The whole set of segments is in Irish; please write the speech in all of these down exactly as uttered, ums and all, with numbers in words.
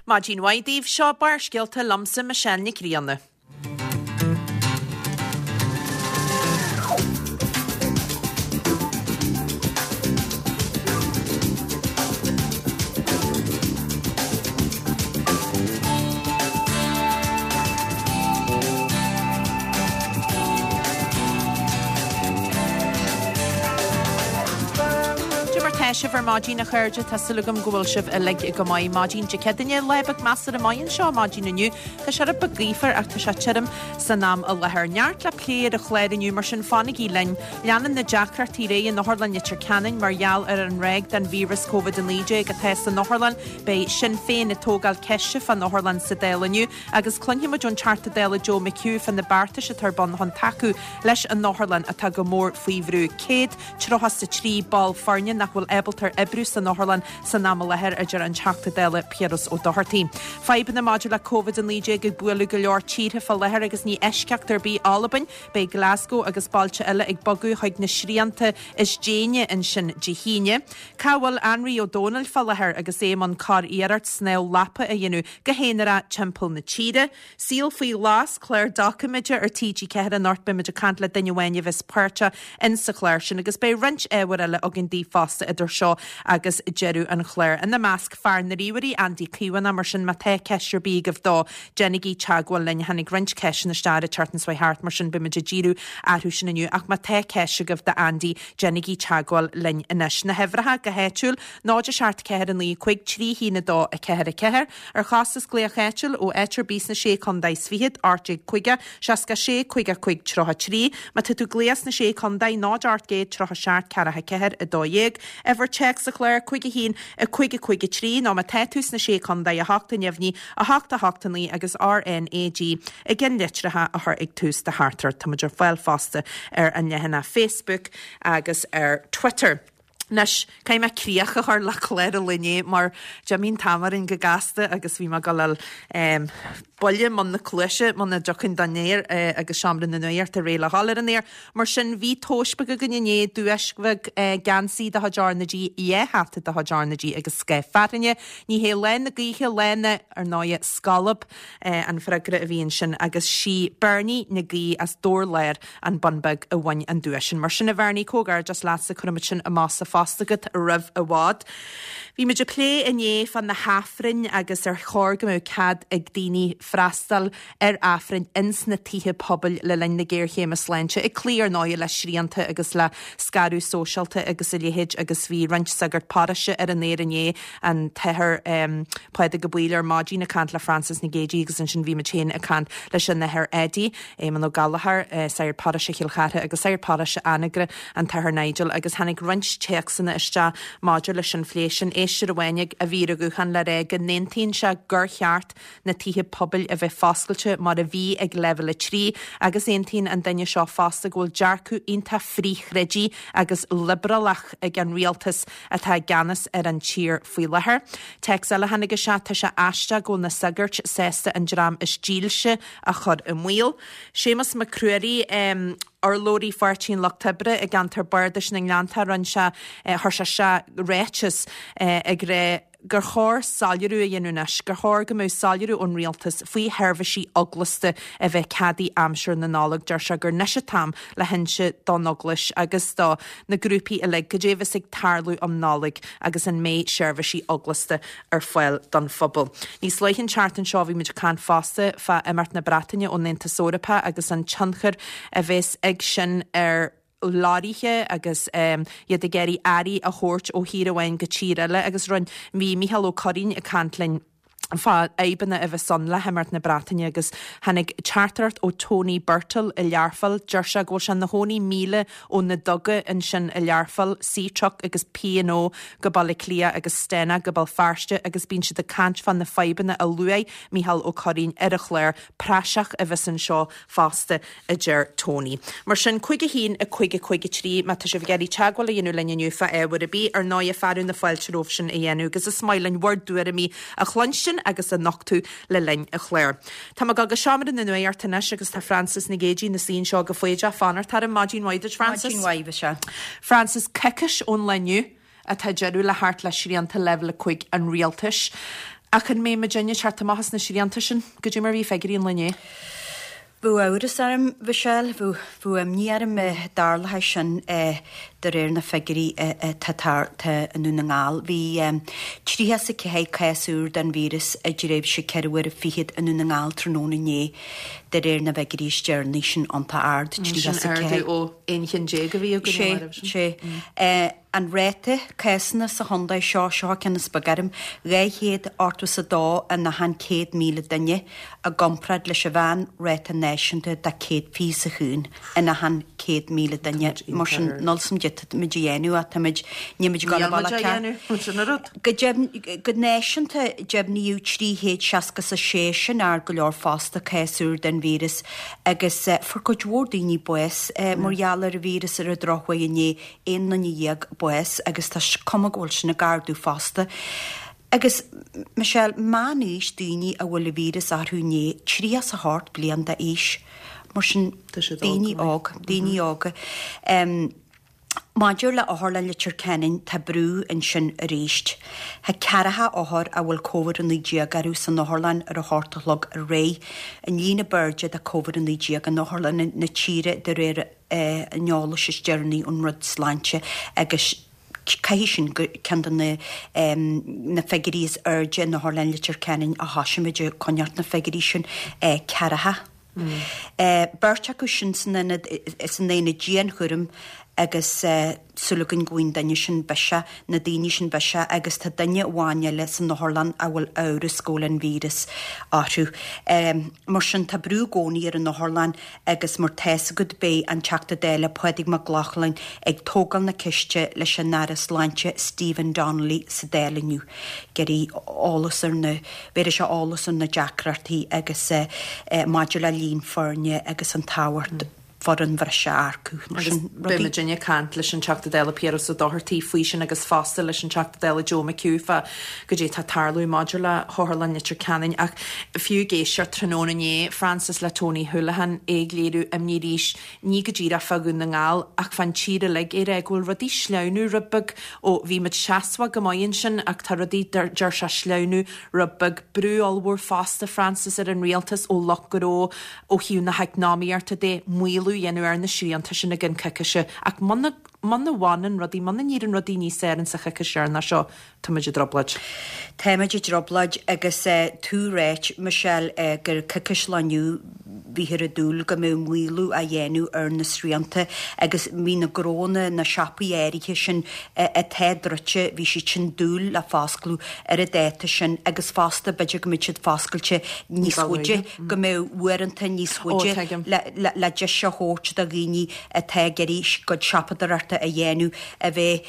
Maidin mhaith daoibh seo Barrscéalta liomsa Michelle Nic Grianna. Tá sibh ar maidin a chairde tá súil agam go bhfuil sibh uilig go maith maidin Dé Céadaoine lá beag measartha maith anseo maidin inniu Tá sé rud beag gaofar ach tá sé tirim san am i láthair. Neart le plé ar an chlár inniu mar sin fanaigí linn. Leanann na deacrachtaí ar aghaidh in Otharlann Leitir Ceanainn mar gheall ar an ráig den víreas Covid a naoi déag atá san otharlann. Beidh Sinn Féin ag tógáil ceiste fán otharlann sa Dáil inniu agus cluinfimid ón Teachta Dála Joe McHugh fá na beartais atá ar bun chun tacú leis an otharlann atá go mór faoi bhrú. Céad tríocha is a trí ball foirne nach bhfuil ábalta oibriú san otharlann san am i láthair a deir an Teachta Dála Piaras Ó Dochartaigh. Fadhbanna maidir le Covid a naoi déag ag bualadh go leor tíortha fá láthair agus ní eisceacht ar bith Albain, beidh Glasgow agus bailte eile ag bogadh chuig na srianta is déine ansin Dé hAoine. Cá bhfuil Anraí Ó Dónaill fá láthair agus é i mbun curiarracht snámh lapa a dhéanamh go haonarach timpeall na tíre. Saol faoi ghlas, clár doiciméide ar TG Ceathair anocht beimid ag caint le duine amháin a bheas páirteach in sa chlár sin agus beidh roinnt ábhair eile againn daoibh fosta idir seo agus deireadh an chláir. Ina measc fear na ríomhairí Andy Caomhánach mar sin má tá ceist ar bith agaibh dó déanaigí teagmháil linn tháinig roinnt ceisteanna isteach an tseachtain seo thart mar sin beimid ag díriú orthu sin inniu ach má tá ceist agaibh do Andy déanaigí teagmháil linn anois. Na huimhreacha go háitiúil náid a seacht ceathair a naoi cúig trí haon a dó a ceathair a ceathair ar chostas glaoch áitiúil ó áit ar bith sna sé chontae is fichead ocht déag caoga seasca sé caoga cúig tríocha trí má tá tú ag glaoch sna sé chontae náid ocht gcéad tríocha seacht ceathracha ceathair a dó dhéag uimhir téacs sa chlár cúig a haon a cúig a cúig a trí nó má tá tú sna sé chontae a hocht a neamhní a hocht a hocht a naoi agus RNAG i gceannlitreacha a chur ag tús do theachtaireacht Táimid ar fáil fosta ar an leathanach Facebook agus ar Twitter. Anois caithfidh mé críoch a chur le clár an lae inné mar d'imigh an t-am orainn go gasta agus bhí mé ag dul um, buille i mbun na cluaise muna dtiocfainn don aer eh, agus seomra na nuachta réidh le dhul ar an aer. Mar sin bhí tomhas beag againn inné duais bheag eh, geansaí de chuid RnaG dhá hata de chuid RnaG agus scáth fearthainne. Ní hé lá na gaoithe lá na ar ndóigh scolb eh, an freagra a bhí ansin agus sí Bernie na Gaoith as Dór Láir an Bun Beag a bhain an duais sin. Mar sin a Bhernie comhghairdeas leatsa cuirfimid sin amach sa phost agat roimh i bhfad. Bhí muid ag plé inné fá na hAifrinn agus ar chóir go mbeadh cead ag daoine freastal ar Aifrinn ins na tithe pobail le linn na géarchéime sláinte, ag cloí ar ndóigh le srianta agus le scaradh sóisialta agus a leithéid agus bhí roinnt sagart paróiste ar an aer inné an tAthair um, Pádraig Ó Baoill ar maidin ag caint le Frances Nic Géadaigh agus ansin bhí muid féin ag caint leis an Athair Eddie, Éamon Ó Gallchóir, uh, sagart paróiste Chill Chartha agus sagart paróiste Anagaire an tAthair Nigel agus tháinig roinnt téacsanna isteach maidir leis an phlé sin éisteoir amháin a bhí ar an ghuthán le rá go n-aontaíonn sé gur cheart na tithe pobail a bheith foscailte mar a bhí ag leibhéal a trí agus aontaíonn an duine seo fosta go bhfuil dearcadh iontach frithchreidmheach agus liobrálach ag an rialtas atá i gceannas ar an tír faoi láthair. Téacs eile tháinig isteach tá sé aisteach go bhfuil na sagairt sásta an dream is dílse a chur i mbaol. Séamus Mac Ruairí um, urlabhraí Pháirtí an Lucht Oibre i gceantar Bardais na nGleannta rinne sé chuir sé sé ráiteas ag rá gur chóir soiléiriú a dhéanamh anois, gur chóir go mbeadh soiléiriú ón rialtas faoi sheirbhísí eaglasta a bheith ceadaithe aimsir na Nollag deir sé gur anois an t-am le hinse don eaglais agus do na grúpaí uilig cad é a bheas ag tarlú um Nollaig agus an mbeidh seirbhísí eaglasta ar fáil don phobal. Níos luaithe an tseachtain seo bhí muid ag caint fosta fá imeacht na Breataine ón Aontas Eorpach agus an tionchar a bheas ag sin ar leoraithe agus um, iad ag iarraidh earraí a thabhairt ó thír amháin go tír eile agus rinne bhí Micheál Ó Curraoin ag caint linn fá fhadhbanna a bheas ann le himeacht na Breataine agus tháinig teachtaireacht ó Tony Birtill i Learpholl deir sé go bhfuil sé ina chónaí míle ó na duga ansin i Learpholl, Seatruck agus P&O go Baile Cliath agus Stena go Béal Feirste agus bíonn siad ag caint fá na fadhbanna a luaigh Micheál Ó Curraoin ar a chlár praiseach a bheas anseo fosta a deir Tony. Mar sin cúig a haon a cúig a cúig a trí má tá sibh ag iarraidh teagmháil a dhéanamh linn inniu fá ábhar ar bith ar ndóigh fearadh na fáilte romhaibh sin a dhéanamh agus is maith linn bhur dtuairimí a chluinstin agus a nochtadh le linn an chláir. Tá mé go seomra na nuachta anois agus tá Frances Nic Géadaigh ina suí anseo go foighdeach fanacht orm maidin mhaith duit Frances. Maidin mhaith sea. Frances coicís ón lá inniu atá deireadh le theacht le srianta leibhéal a cúig an rialtais. Ach an mbeidh muidinne ag teacht amach as na srianta sin? Goidé mar bhí figiúirí an lae inné? Bheadh amhras orm, Michelle, bheadh imní orm dtarlódh sin de réir na figiúirí atá i nDún na nGall. Bhí tríocha is a ceathair cás úr den víreas i dtréimhse ceithre huaire fichead i nDún na nGall tráthnóna inné, de réir na bhfigiúirí is deireanaí, sin iontach ard, tríocha is a ceathair. Sin ardú ó aon cheann déag a bhí againn an lá roimhe sin. Sé, sé. An ráta cásanna sa chontae seo, seo ceann is beag orm, dhá chéad ochtó is a dó in achan céad míle duine, i gcomparáid leis an mheán-ráta náisiúnta de céad fiche is a chúig in achan céad míle duine. Mar sin, níl 's a'm goidé tá muid a dhéanamh ach táimid, níl muid ag dul an bealach ceart. Níl muid á dhéanamh, sin an rud. Go deimhin, go náisiúnta, deimhníodh trí chéad seasca is a sé, sin ard go leor fosta, cás úr den víreas agus fuair cuid mhór daoine bás mar gheall ar an víreas ar an drochuair inné, aon duine dhéag bás agus tá cuma go bhfuil sin ag ardú fosta. Agus, Michelle, meánaois daoine a bhfuil an víreas orthu inné, tríocha is a hocht bliain d'aois. Mar sin, daoine óg, daoine óga. Maidir le Otharlann Leitir Ceanainn, tá brú ansin arís. Tá ceathracha othar a bhfuil Covid a naoi déag orthu san otharlann ar a hocht a chlog aréir, an líon ab airde de Covid a naoi déag in otharlanna na tíre de réir an eolais is deireanaí ón Roinn Sláinte agus caithfidh sin gur ceann de na na figiúirí is airde in Otharlann Leitir Ceanainn ó thosaigh muid ag coinneáilt na figiúirí sin, ceathracha. Beirt acu sin san ionad san aonad dianchúraim agus súil againn go bhfaighidh an duine sin biseach, na daoine sin biseach agus tá duine amháin eile san otharlann a bhfuil amhras go bhfuil an víreas orthu. Mar sin tá brú i gcónaí ar an otharlann agus mar tá's agat beidh an Teachta Dála Pádraig Mac Lochlainn ag tógáil na ceiste leis an Aire Sláinte Stephen Donnelly sa Dáil inniu. Ag iarraidh eolas ar na, bhéarfaidh sé eolas ar na deacrachtaí agus maidir le líon foirne agus an tábhacht. foireann bhreise a earcú, mar Agus sin beidh rudaí. muidinne ag caint leis an Teachta Dála Piaras Ó Dochartaigh faoi sin agus fosta leis an Teachta Dála Joe McHugh fá goidé tá ag tarlú maidir le hOtharlann Leitir Ceanainn. Ach fiú ag éisteacht tráthnóna inné, Frances le Tony Holohan, é ag léiriú imní arís, ní go díreach fá Dhún na nGall ach fán tír uilig, é ag rá go bhfuil rudaí sleamhnú rud beag ó bhí muid seasmhach go maith ansin ach tá rudaí, deir sé, sleamhnú rud beag. Brú ollmhór fosta, Frances, ar an rialtas ó lucht gnó ó thaobh na heacnamaíochta de, maolú a dhéanamh ar na srianta sin i gcionn coicíse. Ach muna, muna bhfanann rudaí, muna n-éiríonn rudaí níos fearr insa choicís dheireanach seo, tá muid i dtrioblóid. Tá muid i dtrioblóid agus tú ráit, Michelle, gur coicís ó inniu bhíthear ag dúil go mbeadh maolú á dhéanamh ar na srianta agus bhí na gnónna, na siopaí áirithe sin atá druidte, bhí siad sin dúil le foscladh ar an dáta sin agus fosta b'fhéidir go mbeadh siad foscailte níos faide, go mbeadh uaireanta níos faide le deis a thabhairt do dhaoine atá ag iarraidh a gcuid siopadóireachta a dhéanamh a bheith,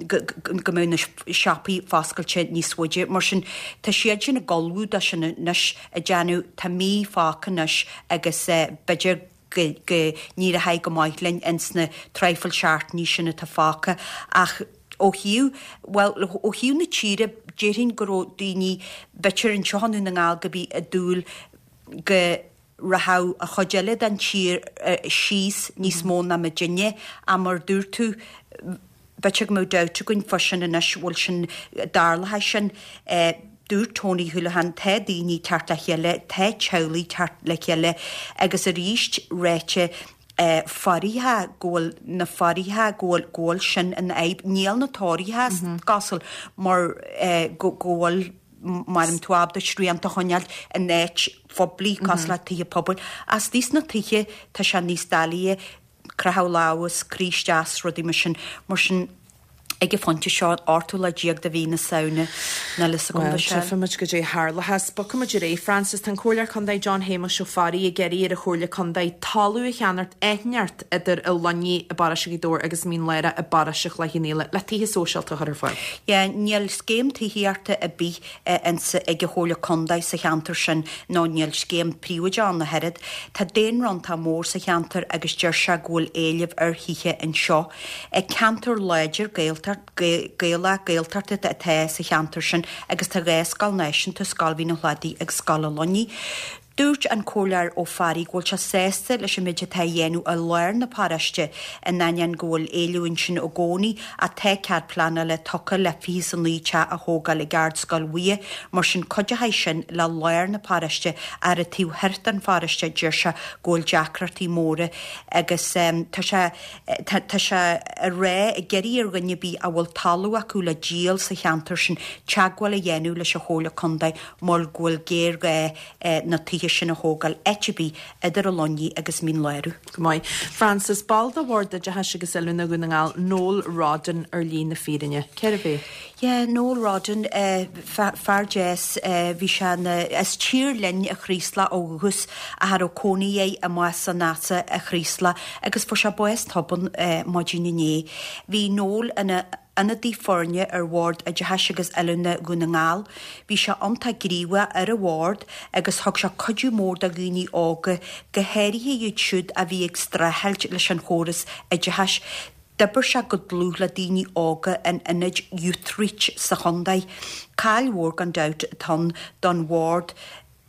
go mbeadh na siopaí foscailte níos faide. Mar sin, tá siad sin ag ullmhú dó sin anois, ag déanamh, tá mí fágtha anois agus b'fhéidir go go n-éireoidh go maith linn ins na traidhfil seachtainí sin atá fágtha ach ó thaobh, bhuel, ó thaobh na tíre, déarfainn go raibh daoine, b'fhéidir anseo i nDún na nGall go bhí ag dúil go rachadh an chuid eile den tír síos níos mó ná muidinne ach mar dúirt tú, B'fhéidir go mbeadh dabht againn fá sin anois, bhfuil sin, dtarlóidh sin. Dúirt Tony Holohan, tá daoine ag teacht le chéile, tá teaghlaigh ag teacht le chéile agus arís ráite fairithe go bhfuil na fairithe go bhfuil go bhfuil sin ina fhadhb. Níl na tóraithe is cosúil mar go go bhfuil mara mbíonn tú ábalta srianta a choinneáil in áit phoiblí cosúil le tithe pobail. Ach istigh sna tithe tá sé níos doilighe. Croitheadh lámh is croí isteach is rudaí mar sin. Mar sin, ag an phointe seo, an ochtú lá déag de mhí na Samhna, níl fhios agam Bhuel, Michelle. tchífimid goidé a tharlóchas. Bogfaimid ar aghaidh, Frances. Tá an Comhairleoir Contae John Shéamuis Ó Fearraigh ag iarraidh ar an Chomhairle Contae talamh a cheannacht áit inteacht idir an Luinnigh i bparóiste Ghaoth Dobhair agus Mín Lárach i bparóiste Chloich Cheann Fhaola le tithe sóisialta a chur ar fáil. Yeah, níl scéim tithíochta ar bith ins ag an Chomhairle Contae sa cheantar sin nó níl scéim príobháideach ann ach oiread. Tá daonra iontach mór sa cheantar agus deir sé go bhfuil éileamh ar thithe anseo. Ceantar láidir Gaelach, Gaeltachta atá sa cheantar sin agus tá dhá scoil náisiúnta, Scoil Mhín an Chladaigh agus Scoil an Luinnigh. Dúirt an Comhairleoir Ó Fearraigh go bhfuil sé sásta leis an méid atá á dhéanamh i lár na paróiste in ainneoin go bhfuil éileamh ansin i gcónaí ach tá cead pleanála tugtha le fiche is a naoi teach a thógáil ag Ardscoil Mhuire, mar sin cuideoidh sin le lár na paróiste ar an taobh thoir den pharóiste deir sé go bhfuil deacrachtaí móra agus tá sé tá sé ag rá ag iarraidh ar dhuine ar bith a bhfuil talamh acu le díol sa cheantar sin teagmháil a dhéanamh leis an Chomhairle Contae mar go bhfuil géarghá na tithe sin a thógáil áit ar bith idir an Luinnigh agus Mín Lárach. Go maith. Frances, ball de Bhord Oideachais agus Oiliúna Dhún na nGall, Noel Rodden ar shlí na fírinne. Cérbh é? Yeah, Noel Rodden, fear deas, bhí sé ina, as Tír Fhloinn a Chraoslaigh ó dhúchas ach a raibh cónaí air amuigh san Easa a Chraoslaigh agus fuair sé bás tobann maidin inné. Bhí Noel ina ionadaí foirne ar Bhord Oideachais agus Oiliúna Dhún na nGall. Bhí sé iontach gníomhach ar an bhord agus thug sé cuidiú mór do dhaoine óga, go háirithe iad siúd a bhí ag streachailt leis an chóras oideachais. D'oibir sé go dlúth le daoine óga in ionaid Youthreach sa chontae. Caill mhór gan dabht atá ann don bhord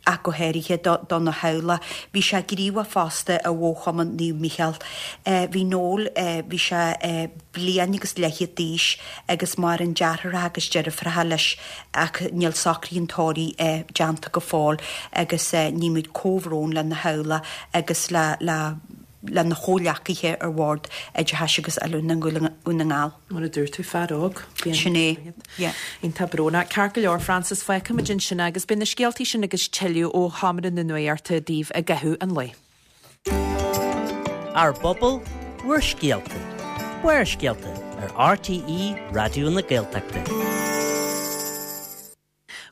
ach go háirithe dona theaghlach. Bhí sé gníomhach fosta i bhFo-Chumann Naomh Mícheál. Bhí Noel, bhí sé bliain agus leathchéad d'aois agus maireann deartháireacha agus deirfiúracha leis ach níl socruithe an tórraimh déanta go fóill agus nímid comhbhrón lena theaghlach agus le le lena chomhghleacaithe ar Bhord Oideachais agus Oiliúna Dhún na nGall. Mar a dúirt tú, fear óg. Sin é, yeah. Iontach brónach. Ceart go leor, Frances, fágfaimid ansin agus beidh na scéaltaí sin agus tuilleadh ó Sheomra na Nuachta daoibh i gcaitheamh an lae. Ár bpobal, bhur scéalta. Barrscéalta ar RTÉ Raidió na Gaeltachta.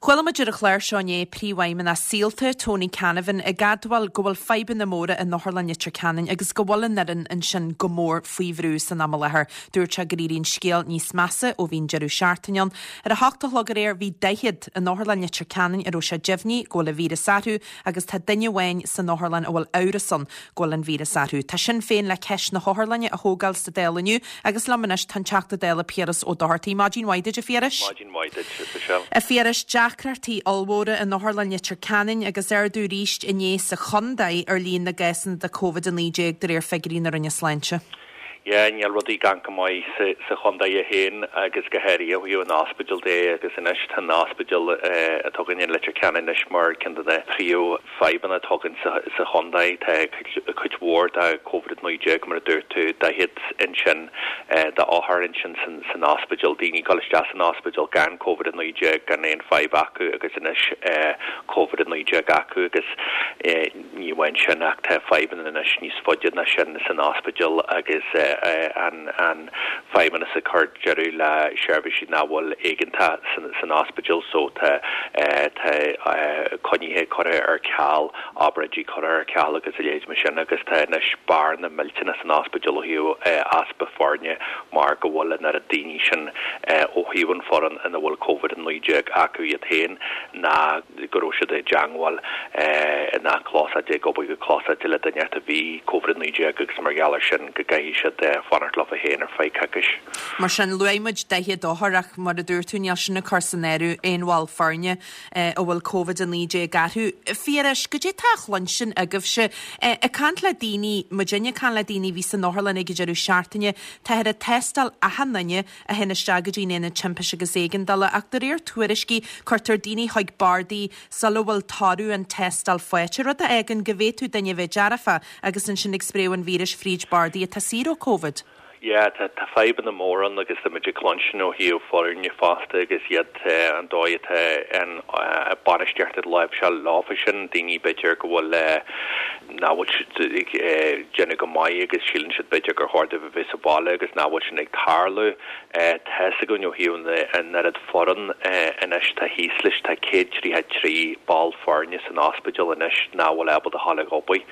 Chuala muid ar an chlár seo inné príomhfheidhmeannach Saolta, Tony Canavan, ag admháil go bhfuil fadhbanna móra in Otharlann Leitir Ceanainn agus go bhfuil an fhoireann ansin go mór faoi bhrú san am i láthair. Dúirt sé gur éirigh an scéal níos measa ó bhí an deireadh seachtaine ann. Ar a hocht a chlog aréir bhí daichead in Otharlann Leitir Ceanainn a raibh sé deimhnithe go bhfuil an víreas orthu agus tá duine amháin san otharlann a bhfuil amhras ann go bhfuil an víreas orthu. Tá Sinn Féin le ceist na hotharlainne a thógáil sa Dáil inniu agus liom anois tá an Teachta Dála Piaras Ó Dochartaigh. Maidin mhaith duit, a Phiarais. Maidin mhaith duit, Michelle. A Phiarais, deacrachtaí ollmhóra in Otharlann Leitir Ceanainn agus ardú arís inné sa chontae ar líon na gcásanna de Covid a naoi déag de réir figiúirí na Roinne Sláinte. Yeah, níl rudaí gan go maith sa, sa chontae féin agus go háirithe ó thaobh an ospidéal de agus anois tá an ospidéal atá againn in Leitir Ceanainn anois mar ceann de na príomhfhadhbanna atá againn sa, sa chontae. Tá cuid, cuid mhór de Covid a naoi déag mar a dúirt tú, daichead ansin d'othair ansin san, san ospidéal, daoine ag dul isteach san ospidéal gan Covid a naoi déag, gan aon fadhb acu agus anois Covid a naoi déag acu agus ní amháin sin ach tá fadhbanna anois níos faide ná sin san ospidéal agus an an feidhmeannas ag cur deireadh le seirbhísí nach bhfuil éigeantach san san ospidéal so tá tá coinnithe curtha ar ceal, obráidí curtha ar ceal agus a leithéid mar sin agus tá anois bearna millteanach san ospidéal ó thaobh easpa foirne mar go bhfuil an oiread daoine sin ó thaobh an foireann ina bhfuil Covid a naoi déag acu iad féin ná go raibh siad i dteangmháil ná clósáilte ag obair go clósáilte le duine a bhí Covid a naoi déag agus mar gheall ar sin go gcaithfidh siad fanacht leo féin ar feadh coicís. Mar sin, luaigh muid daichead othar ach mar a dúirt tú níl sin ag cur san áireamh aon bhall foirne a bhfuil Covid a naoi déag orthu. Phiarais, goidé tá á chluinstin agaibhse? Ag caint le daoine, muidinne ag caint le daoine a bhí san otharlann ag an deireadh seachtaine, táthar ag tástáil achan duine a théann isteach go dtí an aonad timpiste agus éigeandála ach de réir tuairiscí cuirtear daoine chuig bardaí sula bhfuil toradh an tástáil faighte, rud a fhágann go bhféadfadh duine a bheith dearfach agus ansin ag spréadh an víris fríd bardaí atá saor ó Covid. Yeah, tá tá fadhbanna móra ann agus tá muid ag cluinstin ó thaobh foirne fosta agus iad an dóigh atá an bainistíocht ag láimhseáil leofa sin, daoine b'fhéidir go bhfuil nach bhfuil siad ag déanamh go maith agus síleann siad b'fhéidir gur chóir dóibh a bheith sa bhaile agus nach bhfuil sin ag tarlú. Tá fhios againn ó thaobh an oiread foireann anois tá thíos leis, tá céad tríocha trí ball foirne san ospidéal anois nach bhfuil ábalta a ghabháil ag obair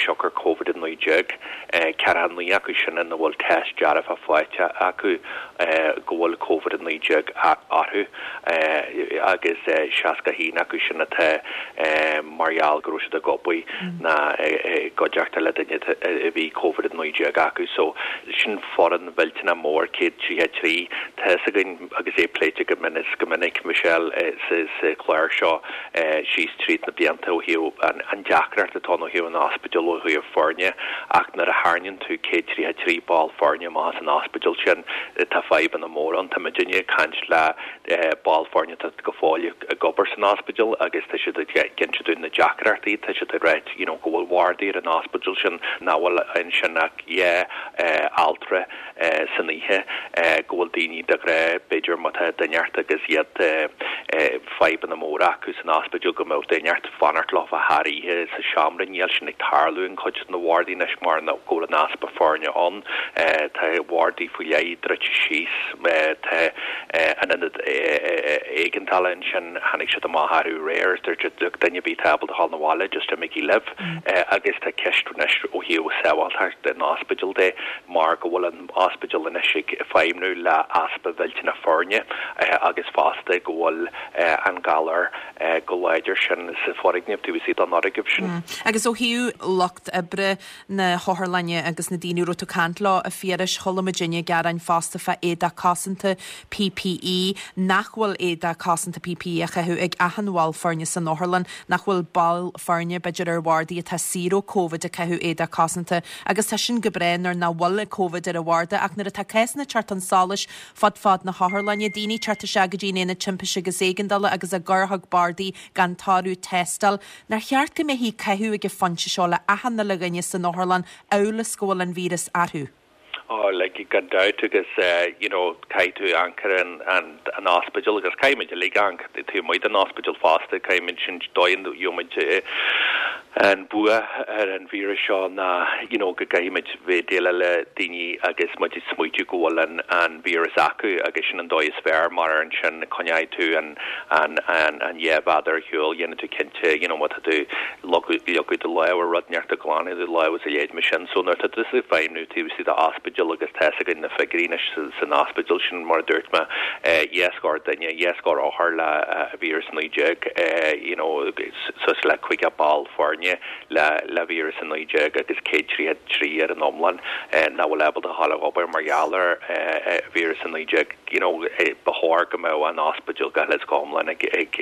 siocair Covid a naoi déag. Ceathracha naoi acu sin ina bhfuil test dearfach faighte acu go bhfuil Covid a naoi déag orthu agus seasca a haon acu sin atá mar gheall go raibh siad ag obair ná i gcuideachta le duine a bhí Covid a naoi déag acu. So sin foireann mhillteanach mór, céad tríocha trí. Tá fhios againn agus é pléite go minic go minic, Michelle, sa chlár seo síos tríd na blianta ó thaobh an deacracht atá ann ó thaobh an ospidéal ó thaobh foirne ach nuair a tharraingíonn tú céad tríocha trí ball foirne amach as an ospidéal sin tá fadhbanna móra ann. Tá muidinne ag caint le ball foirne atá go fóill ag obair san ospidéal agus tá siad ag inse dúinn na deacrachtaí, tá siad ag ráit you know go bhfuil wardaí ar an ospidéal sin nach bhfuil ansin ach dhá altra san oíche, go bhfuil daoine de ghnáth b'fhéidir má tá duine ort agus iad fadhbanna móra acu san ospidéal go mbeadh duine ort fanacht leofa thar oíche sa seomra. Níl sin ag tarlú in cuid de na wardaí anois mar go bhfuil an easpa foirne ann. Tá wardaí faoi leith druidte síos. Tá an ionad éigeandála ansin, tháinig siad amach arú aréir is dúirt siad look duine ar bith atá ábalta dhul 'na bhaile just imígí libh. Agus tá ceist anois ó thaobh sábháilteacht an ospidéil de mar go bhfuil an ospidéal anois ag feidhmniú le easpa mhillteanach foirne agus fosta go bhfuil an galar go láidir sin sa foirgneamh taobh istigh den fhoirgneamh sin. Agus ó thaobh lucht oibre na hotharlainne agus na daoine a raibh tú ag caint leo, a Phiarais, chuala muidinne gearáin fosta fá éadach cosanta P P E, nach bhfuil éadach cosanta P P E á chaitheamh ag achan bhall foirne san otharlann, nach bhfuil ball foirne b'fhéidir ar bhardaí atá saor ó Covid ag caitheamh éadach cosanta agus tá sin go breá nuair nach bhfuil Covid ar an bharda ach nuair atá cásanna ag teacht chun solais fud fad na hotharlainne, daoine ag teacht isteach go dtí an aonad timpiste agus éigeandála agus á gcur chuig bardaí gan toradh tástála. Nár cheart go mbeifí ag caitheamh ag an phointe seo le achan uile dhuine san otharlann amhail is go bhfuil an víreas orthu? Oh, like gan dabht agus you know caithfidh tú amharc ar an an an ospidéal agus caithfimid uilig amharc taobh amuigh den ospidéal fosta, caithfimid sin dóigh a gheobhaimid an bua ar an víreas seo ná you know go gcaithfimid bheith déileáil le daoine agus muid ag smaoitiú go bhfuil an an víreas acu agus sin an dóigh is fearr mar ansin coinneoidh tú an an an an dhá mhéadar ar shiúl, dhéanfaidh tú cinnte you know má tá tú leagadh do lámh ar rud inteacht a ghlanadh do lámh is a leithéid mar sin. So nuair atá tusa ag feidhmiú taobh istigh d'ospidéal agus tá fhios againn na figiúirí anois san ospidéal sin mar a dúirt mé dhá scór duine, dhá scór othar le víreas a naoi déag you know suas le caoga ball foirne le le víreas a naoi déag agus céad tríocha trí ar an iomlán nach bhfuil ábalta a dhul ag obair mar gheall ar víreas a naoi déag. You know ba chóir go mbeadh an ospidéal go huile is go hiomlán ag ag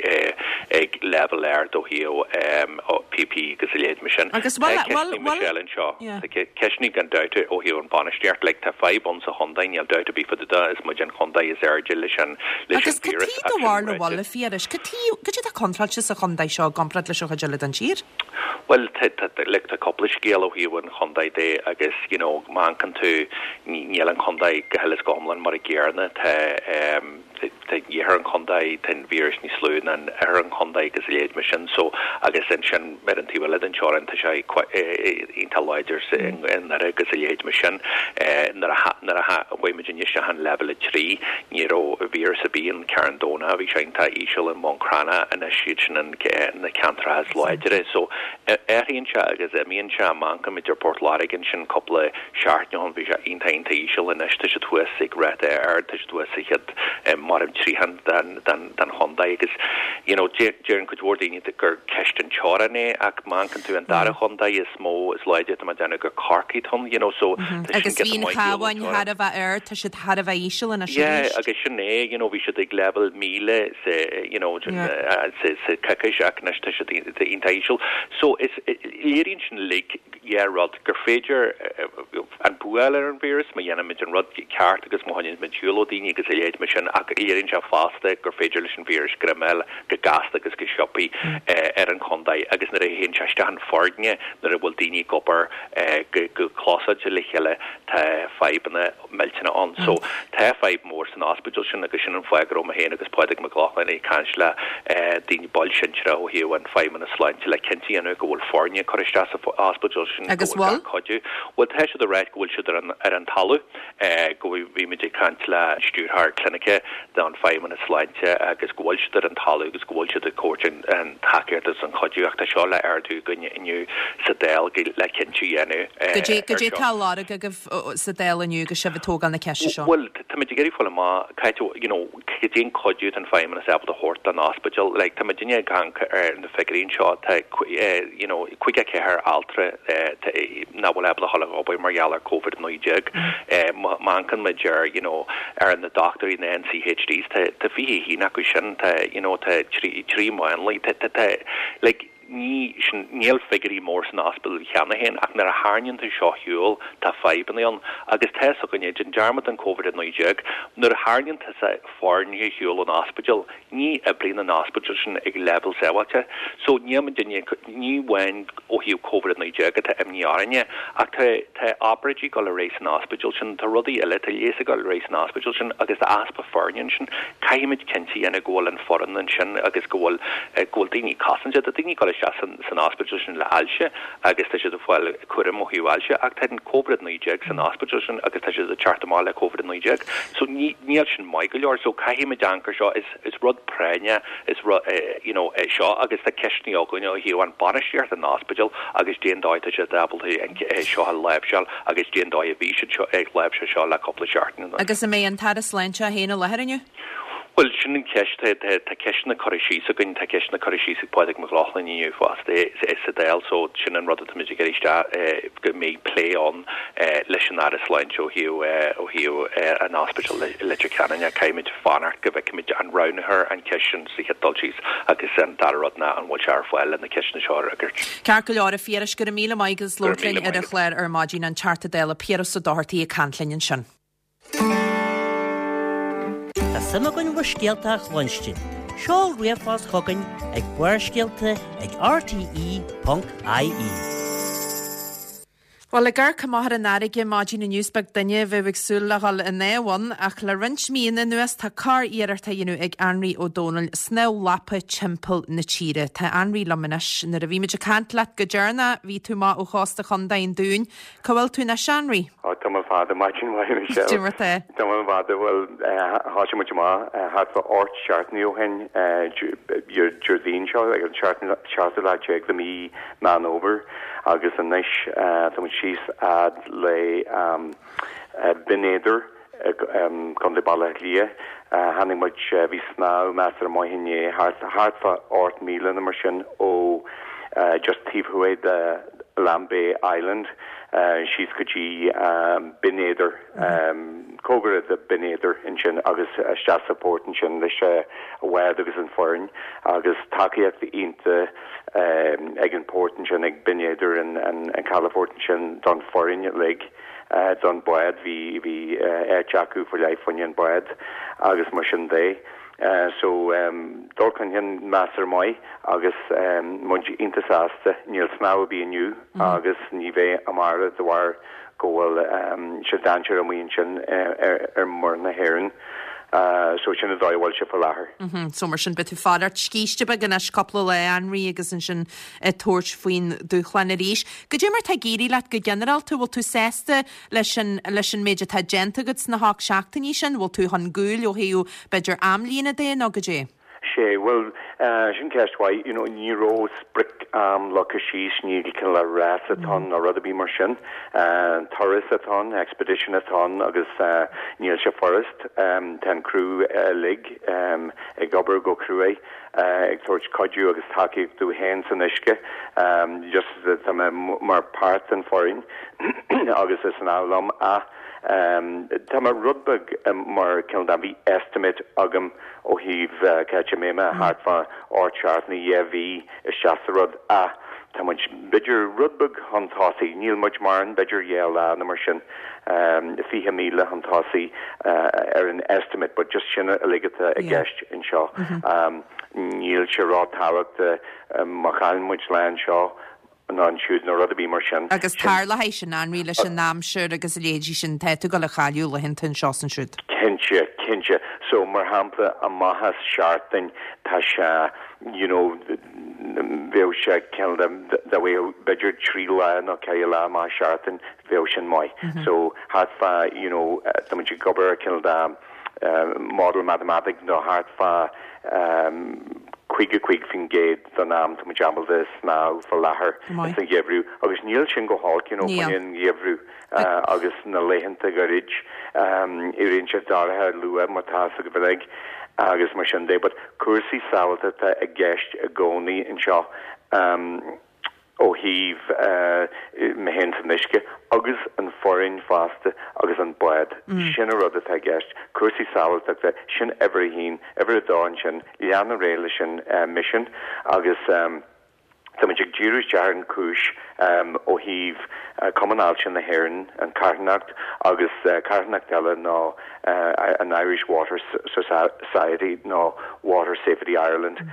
ag leibhéal ard ó thaobh P P E agus a leithéid mar sin. Agus bhfuil Tá bhfuil ceisteanna bhfuil Michelle anseo. yeah. Tá ceisteanna gan dabht ó thaobh an bainistíocht, like tá fadhb ann sa chontae, níl dabht ar bith fá dtaobh de, is muid an chontae is airde leis an leis Agus an cad víreas tuige do ach sin bharr na ráite. bhfuil a Phiarais, cad tuige cad é atá contráilte sa chontae seo i gcomparáid leis an chuid eile den tír? Well tá tá like tá cúpla scéal ó thaobh an chontae de agus you know má amharcann tú ní níl an chontae go huile is go hiomlán mar a gcéanna tá um, tá iarthar an chontae tá an víreas níos lú ná an oirthear an chontae agus a leithéid mar sin so agus ansin ar an taobh eile den teorainn tá sé iontach láidir sa in nDoire agus a leithéid mar sin nuair a nuair a chuaigh muid isteach an leibhéal a trí ní raibh víreas ar bith in Carn Domhnach bhí sé iontach íseal i mBun Cranncha anois iad sin an na ceantracha is láidre so athraíonn sé agus imíonn sé má amharcann muid ar Port Láirge ansin cúpla seachtain ó shin bhí sé iontach iontach íseal anois tá siad thuas ag ráta ard tá siad thuas sa chéad mar trian den den den chontae agus you know deireann cuid mhór daoine gur ceist an teorainn é ach má amharcann tú an dara chontae is mó is láidre tá déanamh gur Corcaigh ann you know so tá sin Agus giota bhí an maith shiúl an Chabháin teorainn. thar a bheith air, tá siad thar a bheith íseal anois Yeah, arís. agus sin é you know bhí siad ag level míle sa you know Yeah. uh, sa sa coicís ach anois tá siad iontach íseal. So is léiríonn sin like yeah rud gur féidir uh, an bua ar an víreas má dhéanaimid an rud ceart agus má choinníonn muid siúl ó daoine agus a leithéid mar sin ach léiríonn sé fosta gur féidir leis an víreas greim go gasta agus go sciobtha uh, ar an chontae agus nuair a théann sé isteach an foirne nuair a bhfuil daoine ag obair uh, go go clósáilte le chéile tá fadhbanna millteanna ann. So tá fadhb mór san ospidéal sin agus sin an fáth go raibh mé féin agus Pádraig Mac Lochlainn ag caint le eh, daoine baill sinsearacha ó thaobh an Feidhmeannas Sláinte le cinntiú go bhfuil foirne curtha isteach sa ospidéal sin go Agus bhfuil bhfuil? gach cuidiú. Well tá siad ag rá go bhfuil siad ar an ar an talamh eh, go bhfuil bhí muid ag caint le stiúrthóir clinice don Feidhmeannas Sláinte agus go bhfuil siad ar an talamh agus go bhfuil siad ag tabhairt an an tacaíocht agus an chuidiú ach tá seo le ardú againn inniu sa Dáil go- le cinntiú dhéanamh eh, Goidé ar goidé seo. tá á lorg agaibh sa Dáil inniu agus sibh ag tógáil na ceiste seo. Well Táimid ag iarraidh fáil amach cá you know cad é an cuidiú an feidhmeannas ábalta a thabhairt don ospidéal like tá muidinne ag amharc ar na figiúirí anseo tá you know caoga ceathair altra nach bhfuil ábalta dhul ag obair mar gheall ar Covid naoi déag má amharcann muid ar you know ar na dochtúirí na NCHDs tá tá fiche haon acu sin tá you know tá trí trí máinlia tá tá tá like ní sin níl figiúirí mór san ospidéal cheana féin ach nuair a tharraingíonn tú seo ar shiúl tá fadhbanna ann agus tá a fhios againne déan dearmad den Covid a naoi déag nuair a tharraingíonn tusa foirne ar shiúl ón ospidéal ní oibríonn an ospidéal sin ag leibhéal sábháilte so níl muidinne ní amháin ó thaobh Covid a naoi déag atá imní orainne ach tá tá obráidí ag dul ar aghaidh san ospidéal sin tá rudaí eile tá leigheas ag dul ar aghaidh san ospidéal sin agus tá easpa foirne ansin caithfimid cinnte a dhéanamh go bhfuil an foireann ansin agus go bhfuil go bhfuil daoine cosanta tá daoine ag dul isteach san san ospidéal sin le ailse agus tá siad ag fáil cúram ó thaobh ailse ach tá an Covid naoi déag san ospidéal sin agus tá siad ag teacht amach le Covid naoi déag so ní níl sin maith go leor so caithfimid amharc air seo is is rud práinne is rud you know é seo agus tá ceisteanna againn ó thaobh an bainistíocht an ospidéal agus cén dóigh tá siad ábalta an seo a láimhseáil agus cén dóigh a bhí siad seo ag láimhseáil seo le cúpla seachtain. Agus an mbeidh an tAire Sláinte féin i láthair inniu? Well sin an ceist tá ceisteanna curtha síos againn tá ceisteanna curtha síos ag Pádraig Mac Lochlainn inniu fosta sa Dáil so sin an rud atáimid ag iarraidh go mbeidh plé ann leis an Aire Sláinte ó thaobh ó thaobh an ospidéal Leitir Ceanainn caithfimid fanacht go bhfeicfimid an roghnófar an cheist sin sa chéad dul síos agus an dara rud ná an bhfuil sé ar fáil le na ceisteanna seo a fhreagairt. Ceart go leor a Phiarais go raibh míle maith as labhairt linn ar an chlár ar maidin an Teachta Dála Piaras Ó Dochartaigh ag caint linn ansin. Tá suim againn bhur scéalta a chluinstin. Seol ríomhphost chugainn ag Barrscéalta ag rte.ie. Well ag amharc amach ar an fharraige maidin inniu is beag duine a bheadh ag súil le dhul i ndamh ann ach le roinnt míonna anuas tá corr-iarracht á dhéanamh ag Anraí Ó Dónaill snámh lapa timpeall na tíre. Tá Anraí liom anois nuair a bhí muid ag caint leat go deireanach bhí tú amach ó chósta Chontae an Dúin, Cá bhfuil tú anois Anraí? Tá mé fada maidin mhaith Michelle. Cad é mar tá. Tá mé fada bhfuil thosaigh muid amach thart fá ocht seachtainí ó shin Déardaoin seo ag an seachtú lá déag de mí Meán Fómhair agus anois tá muid síos fhad le Binn Éadair Contae Bhaile Átha Cliath. Tháinig muid bhí snámh measartha maith inné thart fá ocht míle nó mar sin ó just taobh thuaidh de Lambay Island síos go dtí Binn Éadair cóngarach de Binn Éadair ansin agus isteach sa port ansin leis an bhád agus an foireann agus tacaíocht iontach ag an port ansin ag Binn Éadair an an calafort ansin don foireann uilig don bád bhí bhí áit acu faoi leith fá choinne an bád agus mar sin de. Uh, so um, dul chun cinn measartha maith agus um, muid iontach sásta níl snámh ar bith inniu mm. agus ní bheidh amárach de bharr go bhfuil um, sé dainséar amuigh ansin ar, ar, ar muir na hÉireann. Uh, so sin an dóigh a bhfuil sé faoi láthair. Mm -hmm. So mar sin beidh tú fanacht scíste beag anois cúpla lá Anraí agus ansin ag tabhairt faoin dúshlán arís. Cad é mar tá ag éirí leat go ginearálta bhfuil tú sásta leis an leis an méid atá déanta agat sna hocht seachtainí sin, bhfuil tú chun gúil ó thaobh b'fhéidir amlíne de nó cad é. Sé well uh, sin ceist mhaith you know, ní raibh sprioc am leagtha síos ní cineál le rás atá ann nó rud ar bith mar sin uh, turas atá ann expedition atá ann agus uh, níl sé furast um, tá an crew uilig um, ag obair go cruaidh uh, ag tabhairt cuidiú agus tacaíocht dúinn féin san uisce um, just tá mé mar páirt den foireann agus is an liom a Um, tá mé rud beag um, mar cineál de bhí estimate agam ó thaobh uh, cé mé me thart fá ocht seachtaine dhá mhí isteach sa rud a tá muid b'fhéidir rud beag chun tosaigh níl muid mar an b'fhéidir dhá lá nó mar sin um, fiche míle chun tosaigh uh, ar an estimate, but just sin uilig atá i gceist anseo. Mm -hmm. um, níl sé ró-thábhachtach um, má chailleann muid lá anseo ná ansiúd nó rud ar bith mar sin. Agus tarlaíonn sin Anraí leis an aimsir agus a leithéidí sin tá tú ag cailleadh laethanta anseo is ansiúd. Cinnte cinnte so mar shampla amach as seachtain tá sé you know bheadh sé cineál de b'fhéidir trí lá nó ceithre lá amach seachtain bheadh sin maith. Mm -hmm. So thart fá you know tá muid ag obair cineál de uh, model mathematic nó thart fá um, caoga cúig faoin gcéad den am tá muid ábalta snámh faoi láthair sa gheimhreadh agus níl sin go holc you know faoin an gheimhreadh agus na laethanta gairid éiríonn sé dorcha luath mar tá sa gheimhreadh agus mar sin de but cúrsaí sábháilteachta i gceist i gcónaí anseo ó thaobh mé féin san uisce agus an foireann fosta agus an bád. Sin an rud atá i gceist. Cúrsaí sábháilteachta, sin uimhir a haon, uimhir a dó ansin, lean ar aghaidh leis an misean agus tá muid ag díriú isteach ar an chúis ó thaobh Cumann Ailse na hÉireann, an carthanacht agus carthanacht eile ná an Irish Water Society nó Water Safety Ireland.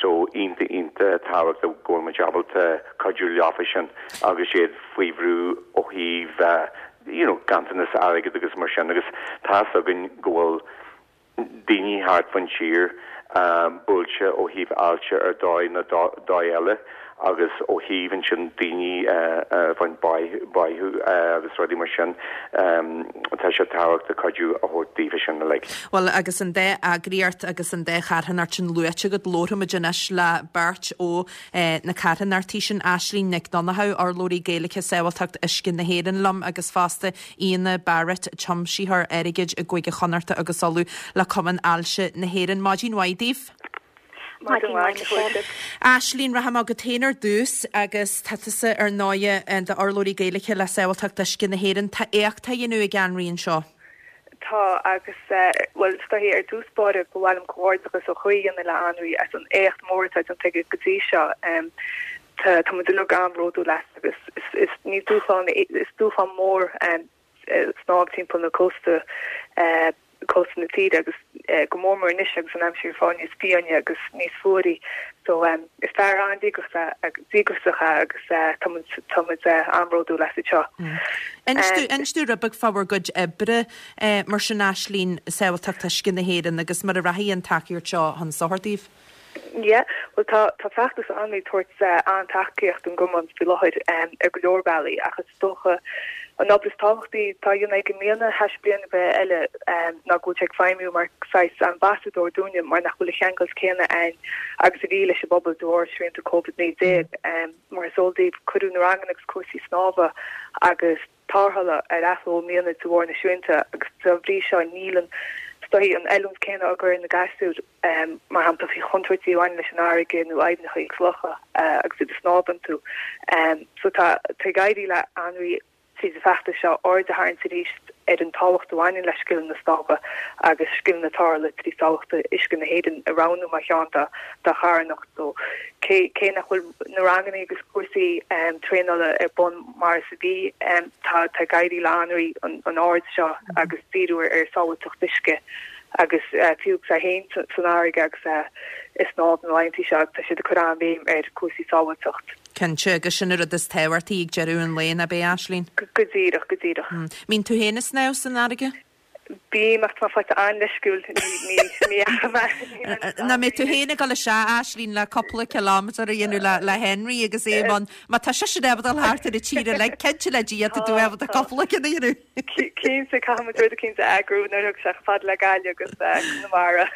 So iontach iontach tábhachtach go bhfuil muid ábalta cuidiú leofa sin agus iad faoi bhrú ó thaobh you know ganntanas airgid agus mar sin agus tá's againn go bhfuil daoine thart faoin tír buailte ó thaobh ailse ar dóigh nó dóigh eile agus ó thaobh ansin daoine a bhain báthadh agus rudaí mar sin, tá sé tábhachtach cuidiú a thabhairt daofa sin uilig. Bhuel, agus an dá eagraíocht agus an dá charthanacht sin luaite agat, labharfaimid anois le beirt ó na carthanachtaí sin, Aislínn Nic Donnchadha, urlabhraí Gaeilge Sábháilteacht Uisce na hÉireann liom agus fosta Éanna Barrett, tiomsaitheoir airgid i gCúige Chonnachta agus Uladh le Cumann Ailse na hÉireann. Maidin mhaith daoibh. Maidin mhaith, Michelle. Aislínn, rachaidh mé chugat féin ar dtús agus tá tusa ar ndóighe i d'urlabhraí Gaeilge le Sábháilteacht Uisce na hÉireann. Tá éacht á dhéanamh ag Anraí anseo. Tá, agus, bhuel, is dóichí ar dtús báire ba mhaith liom comhghairdeachas ó chroí a dhéanamh le Anraí as an éacht mór atá déanta aige go dtí seo. Tá, tá muid uilig an-bhródúil as agus is, is, ní dúshlán, is dúshlán mór snámh timpeall na cósta, cósta na tíre agus go mór mór anois agus an aimsir ag fáil níos fiáine agus níos fuaire. So is fear an-díograiseach é agus tá muid tá muid an-bhródúil as anseo. Inis dúinn rud beag fá bhur gcuid oibre mar sin Aislínn, Sábháilteacht Uisce na hÉireann agus mar a rachaidh an tacaíocht seo chun sochair daoibh. Yeah, bhuel tá tá feachtas Anraí ag tabhairt an-tacaíocht don gcumann faoi láthair ar go leor bealaí ach is dócha an obair is tábhachtaí atá á dhéanamh aige i mbliana th'éis bliain ar bith eile ná go bhfuil sé ag feidhmiú mar saghas ambasadóir dúinne mar nach bhfuil an cheangailt céanna ann agus a bhí leis an bpobal de bharr srianta Covid naoi déag. Mar is eol daoibh cuireadh na ranganna agus cúrsaí snámha agus tarrthála ar athló i mbliana de bharr na srianta agus dá bhrí seo níl an is dóichí an oiliúint céanna á gcur ar na gasúir, mar shampla faoi chontúirtí a bhaineann leis an fharraige nó aibhneacha agus locha agus iad ag snámh iontu. So tá tá ag éirí le Anraí tríd an bhfeachtas seo aird a tharraingt arís ar an tábhacht a bhaineann le scileanna snámha agus scileanna tarrthála trí Sábháilteacht Uisce na hÉireann a roghnú mar cheann dá dá charthanacht. So cé cé nach bhfuil na ranganna agus cúrsaí traenála ar bun mar is a bhí, tá tá ag éirí le Anraí an an aird seo agus díriú ar sábháilteacht uisce agus fiú agus é féin san fharraige agus é ag snámh na laethanta seo tá siad ag cur an-bhéim ar cúrsaí sábháilteacht. Cinnte, agus sin an rud is tábhachtaí ag deireadh an lae, nach ea, Aislínn? Go díreach, go díreach. Mbíonn tú féin ag snámh san fharraige? Bím, ach tá mé faighte an-leisciúil, ní, ní, ní fhaca mé. Nach mbeidh tú féin ag dul isteach, Aislínn, le cúpla kilometre a dhéanamh le, le Henry agus é i mbun, má tá seisean ábalta dul thart ar an tír uilig, cinnte le Dia tá tú ábalta cúpla ceann a dhéanamh. Cinnte, caithfidh muid rud eicínt a eagrú nuair a thiocfaidh sé chomh fada le Gaillimh agus Conamara.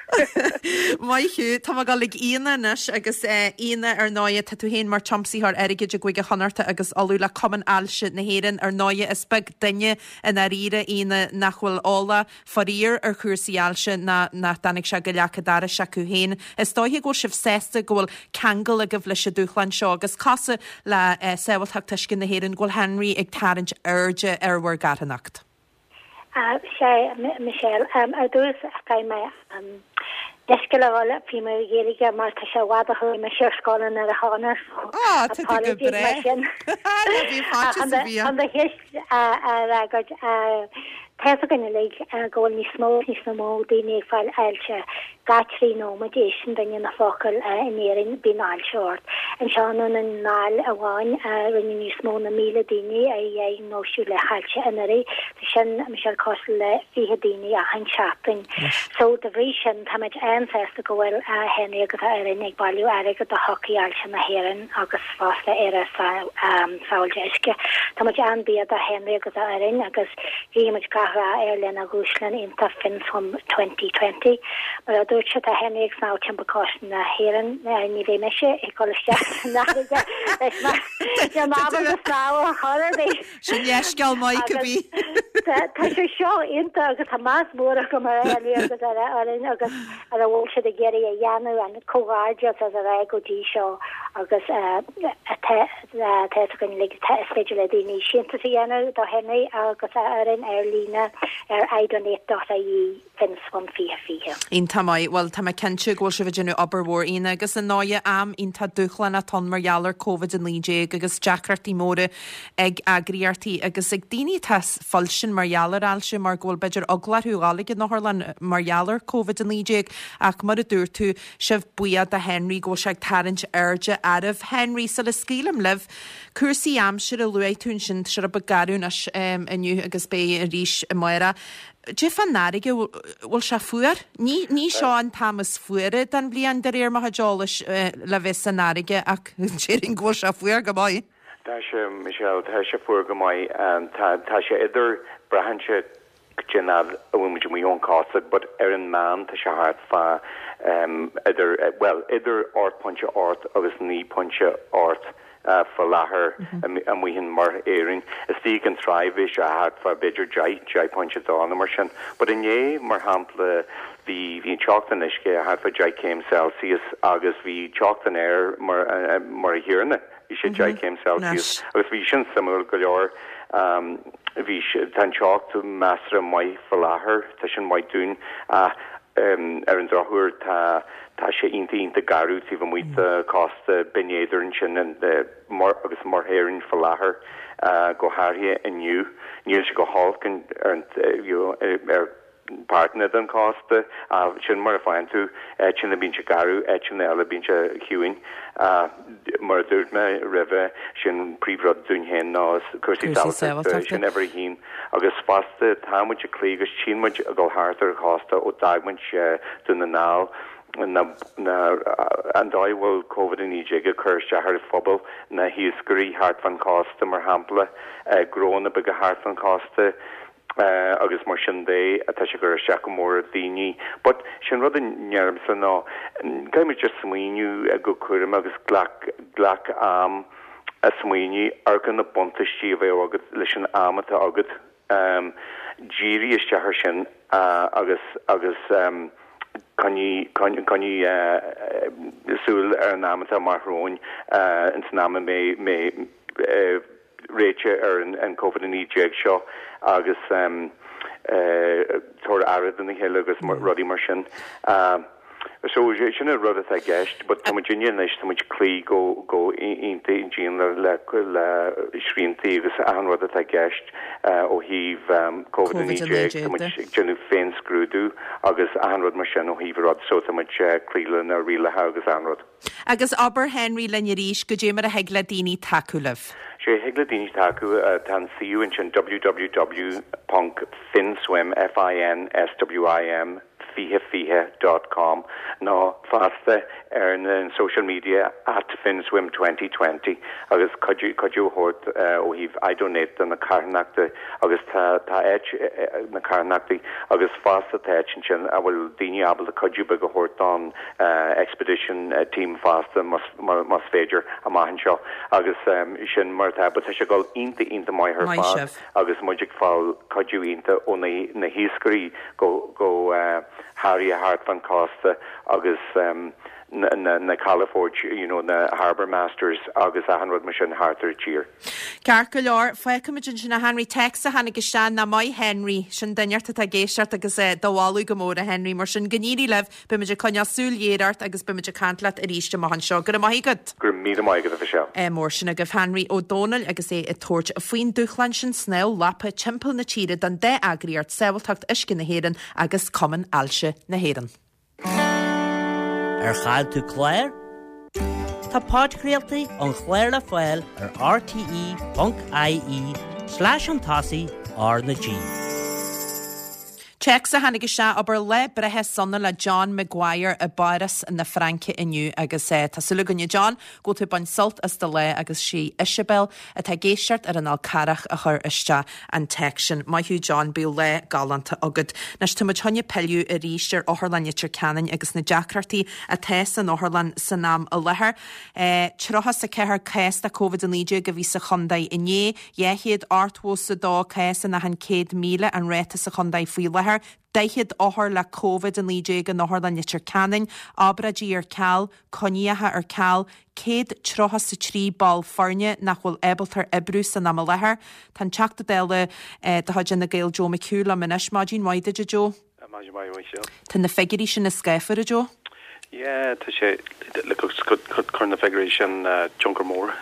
Maith thú. Tá mé ag dul ag Éanna anois agus Éanna, ar ndóighe, tá tú féin mar tiomsaitheoir airgid i gCúige Chonnachta agus Uladh le Cumann Ailse na hÉireann. Ar ndóighe, is beag duine i ndáiríre, Éanna, nach bhfuil eolach, faraor, ar chúrsaí ailse ná nach dtáinig sé go leac an dorais acu féin. Is dóiche go bhfuil sibh sásta go bhfuil ceangal agaibh leis an dúshlán seo agus cosúil le Sábháilteacht Uisce na hÉireann go bhfuil Henry ag tarraingt airde ar bhur gcarthanacht. Sea, Michelle. Ar dtús, caithfidh mé leithscéal a ghabháil faoi mo Ghaeilge mar tá sé i bhfad ó chuaigh mise ar scoil in Doire Chonaire so apologies mar sin. Chun do cheist a fhreagairt, tá fhios againn uilig go bhfuil níos mó agus níos mó daoine ag fáil ailse. Gach trí nóiméad éisteann duine na focail in Éirinn bíonn ailse ort. Anseo i nDún na nGall amháin rinne níos mó na míle daoine a dhiagnóisiú le hailse anuraidh. Tá sin, Michelle, cosúil le fiche daoine achan seachtain. So de bhrí sin táimid an-sásta go bhfuil Henry agus a fhoireann ag bailiú airgead do Thodhchaí Ailse na hÉireann agus fosta Éire Sábháilte Uisce. Táimid an-bhuíoch do Henry agus a fhoireann agus guímid gach rath air lena dhúshlán iontach FinnSwim twenty twenty. Mar a dúirt sé tá Henry ag snámh timpeall cósta na hÉireann, ní bheidh mise ag dul isteach san fharraige leis mar níl mé ábalta snámh ar chor ar bith. Sin leithscéal maith cibé. Tá sé seo iontach agus tá meas mór agam ar Henry agus ar a fhoireann agus ar a bhfuil siad ag iarraidh a dhéanamh, an comhghairdeas as a rá go dtí seo agus tá a fhios againn uilig is féidir le daoine síntiús a dhéanamh do Henry agus a fhoireann ar líne ar idonate dot ie. Finswim fiche fiche. Iontach maith. Bhuel, tá mé cinnte go bhfuil sibh ag déanamh obair mhór, Éanna, agus ar ndóighe am iontach dúshlánach atá ann mar gheall ar Covid a naoi déag agus deacrachtaí móra ag eagraíochtaí agus ag daoine atá fuilsin mar gheall ar ailse mar go bhfuil b'fhéidir eagla orthu dhul ag an otharlann mar gheall ar Covid a naoi déag. Ach mar a dúirt tú, sibh buíoch do Henry go bhfuil sé ag tarraingt airde oraibh. Henry, sula scaoilim libh, cúrsaí aimsire, luaigh tú ansin, tá sé rud beag garbh anois inniu agus beidh arís amárach. Cad é fán fharraige, bhfuil sé fuar? Ní, ní seo an t-am is fuaire den bhliain de réir mo chuid eolais le bheith san fharraige ach déarfainn go bhfuil sé fuar go maith. Tá sé, Michelle, tá sé fuar go maith. Tá, tá sé idir, braitheann sé cén fhad a bhfuil muid amuigh ón cósta but ar an meán tá sé thart fá idir, bhuel, idir ocht pointe ocht agus naoi pointe ocht. faoi láthair amuigh in Muir Éireann. Istigh ag an tráigh bhí sé thart fá b'fhéidir deich, deich pointe dó nó mar sin. But inné, mar shampla, bhí, bhí an teocht an uisce thart fá deich céim Celsius agus bhí teocht an aeir mar, mar a chéanna, bhí sé deich céim Celsius agus bhí sin suimiúil go leor. Bhí, tá an teocht measartha maith faoi láthair, tá sin maith dúinn ach ar an drochuair tá, Tá sé iontach iontach garbh taobh amuigh de chósta Binn Éadair ansin agus Muir Éireann faoi láthair, go háirithe inniu. Níl sé go holc ar ar páirteanna den chósta ach sin mar a faigheann tú, áiteanna bíonn sé garbh, áiteanna eile bíonn sé ciúin. Mar a dúirt mé roimhe, sin príomhrud dúinn féin ná cúrsaí sábháilteachta, sin uimhir a haon. Agus fosta tá muid ag cloí agus tchíonn muid ag dul thart ar an chósta ó d'fhág muid Dún na nGall, na, na, an dóigh a bhfuil Covid a naoi déag ag cur isteach ar an phobal, na hiascairí thart fán chósta mar shampla, gnónna beaga thart fán chósta agus mar sin de, tá sé ag cur isteach go mór ar dhaoine. But sin rud a ndeirimse ná caithfidh muid just smaoineamh go cúramach agus glac, glac am a smaoineamh ar na buntáistí a bheadh agat leis an am atá agat. Dírigh isteach ar sin agus agus coinnigh coinnigh súil ar an am atá amach romhainn ins an am a mbeidh mbeidh réiteach ar an Covid a naoi déag seo agus tabhair aire dona chéile agus rudaí mar sin. So, sin an rud atá i gceist, but tá muid inniu anois, tá muid ag cloí go go iontach dian le le le sriantaí agus achan rud atá i gceist ó thaobh Covid a naoi déag, tá muid ag déanamh féin-scrúdú agus achan rud mar sin ó thaobh rud, so tá muid ag cloí le na rialacha agus achan rud. Agus abair Henry linn arís, goidé mar a thig le daoine tacú libh. Sea, thig le daoine tacú, tá an suíomh ansin www ponc finswim, F-I-N-S-W-I-M, fiche fiche dot com nó fosta ar na social media at finswim twenty twenty agus cuidiú cuidiú a thabhairt ó thaobh iDonate do na carthanachta agus tá tá áit na carthanachtaí agus fosta tá áit ansin a bhfuil daoine ábalta cuidiú beag a thabhairt don expedition team fosta más más féidir amach anseo agus sin mar atá but tá sé ag dul iontach iontach maith ar fad. agus muid ag fáil cuidiú iontach ó na hiascairí go go háirithe thart fán chósta agus na calafoirt, you know, na harbour masters agus achan rud mar sin thart ar an tír. Ceart go leor, fágfaimid ansin a Henry. Téacs a tháinig isteach ná maith Henry, sin duine inteacht atá ag éisteacht agus do mholadh go mór a Henry. Mar sin, go n-éirí libh, beimid ag coinneáil súil ghéar ort agus beimid ag caint leat arís amach anseo. Go raibh maith agat. Go raibh míle maith agat a Mhichelle. Ádh mór sin agaibh Henry Ó Dónaill agus é ag tabhairt faoin dúshlán sin snámh lapa timpeall na tíre don dá eagraíocht, Sábháilteacht Uisce na hÉireann agus Cumann Ailse na hÉireann. Ar chaill tú clár? Tá podchraoltaí an chláir le fáil ar rte.ie slash chun tosaigh R na G. Téacs a tháinig isteach, abair lá breithe sona le John Maguire i bPáras na Fraince inniu agus tá súil againn a John go bhfuil tú ag baint sult as do lá agus sí Isabel atá ag éisteacht ar an Fhál Carrach a chuir isteach an téacs sin. Maith thú John, bíodh lá galánta agat. Anois tá muid chun pilleadh arís ar Otharlann Leitir Ceanainn agus na deacrachtaí atá san otharlann san am i láthair. Tríocha is a ceathair cás de Covid a naoi déag a bhí sa chontae inné, dhá chéad ochtó is a dó cás in achan céad míle an ráta sa chontae faoi láthair, daichead othar le Covid a naoi déag in Otharlann Leitir Ceanainn, obráidí ar ceal, coinníocha ar ceal, céad tríocha is a trí ball foirne nach bhfuil ábalta oibriú san am i láthair. Tá an Teachta Dála de chuid Fhine Gael Joe McHugh liom anois. Maidin mhaith duit a Joe. Maidin mhaith Michelle. Tá na figiúirí sin scáfar a Joe? Yeah, tá sé chuir na figiúirí sin tionchar mór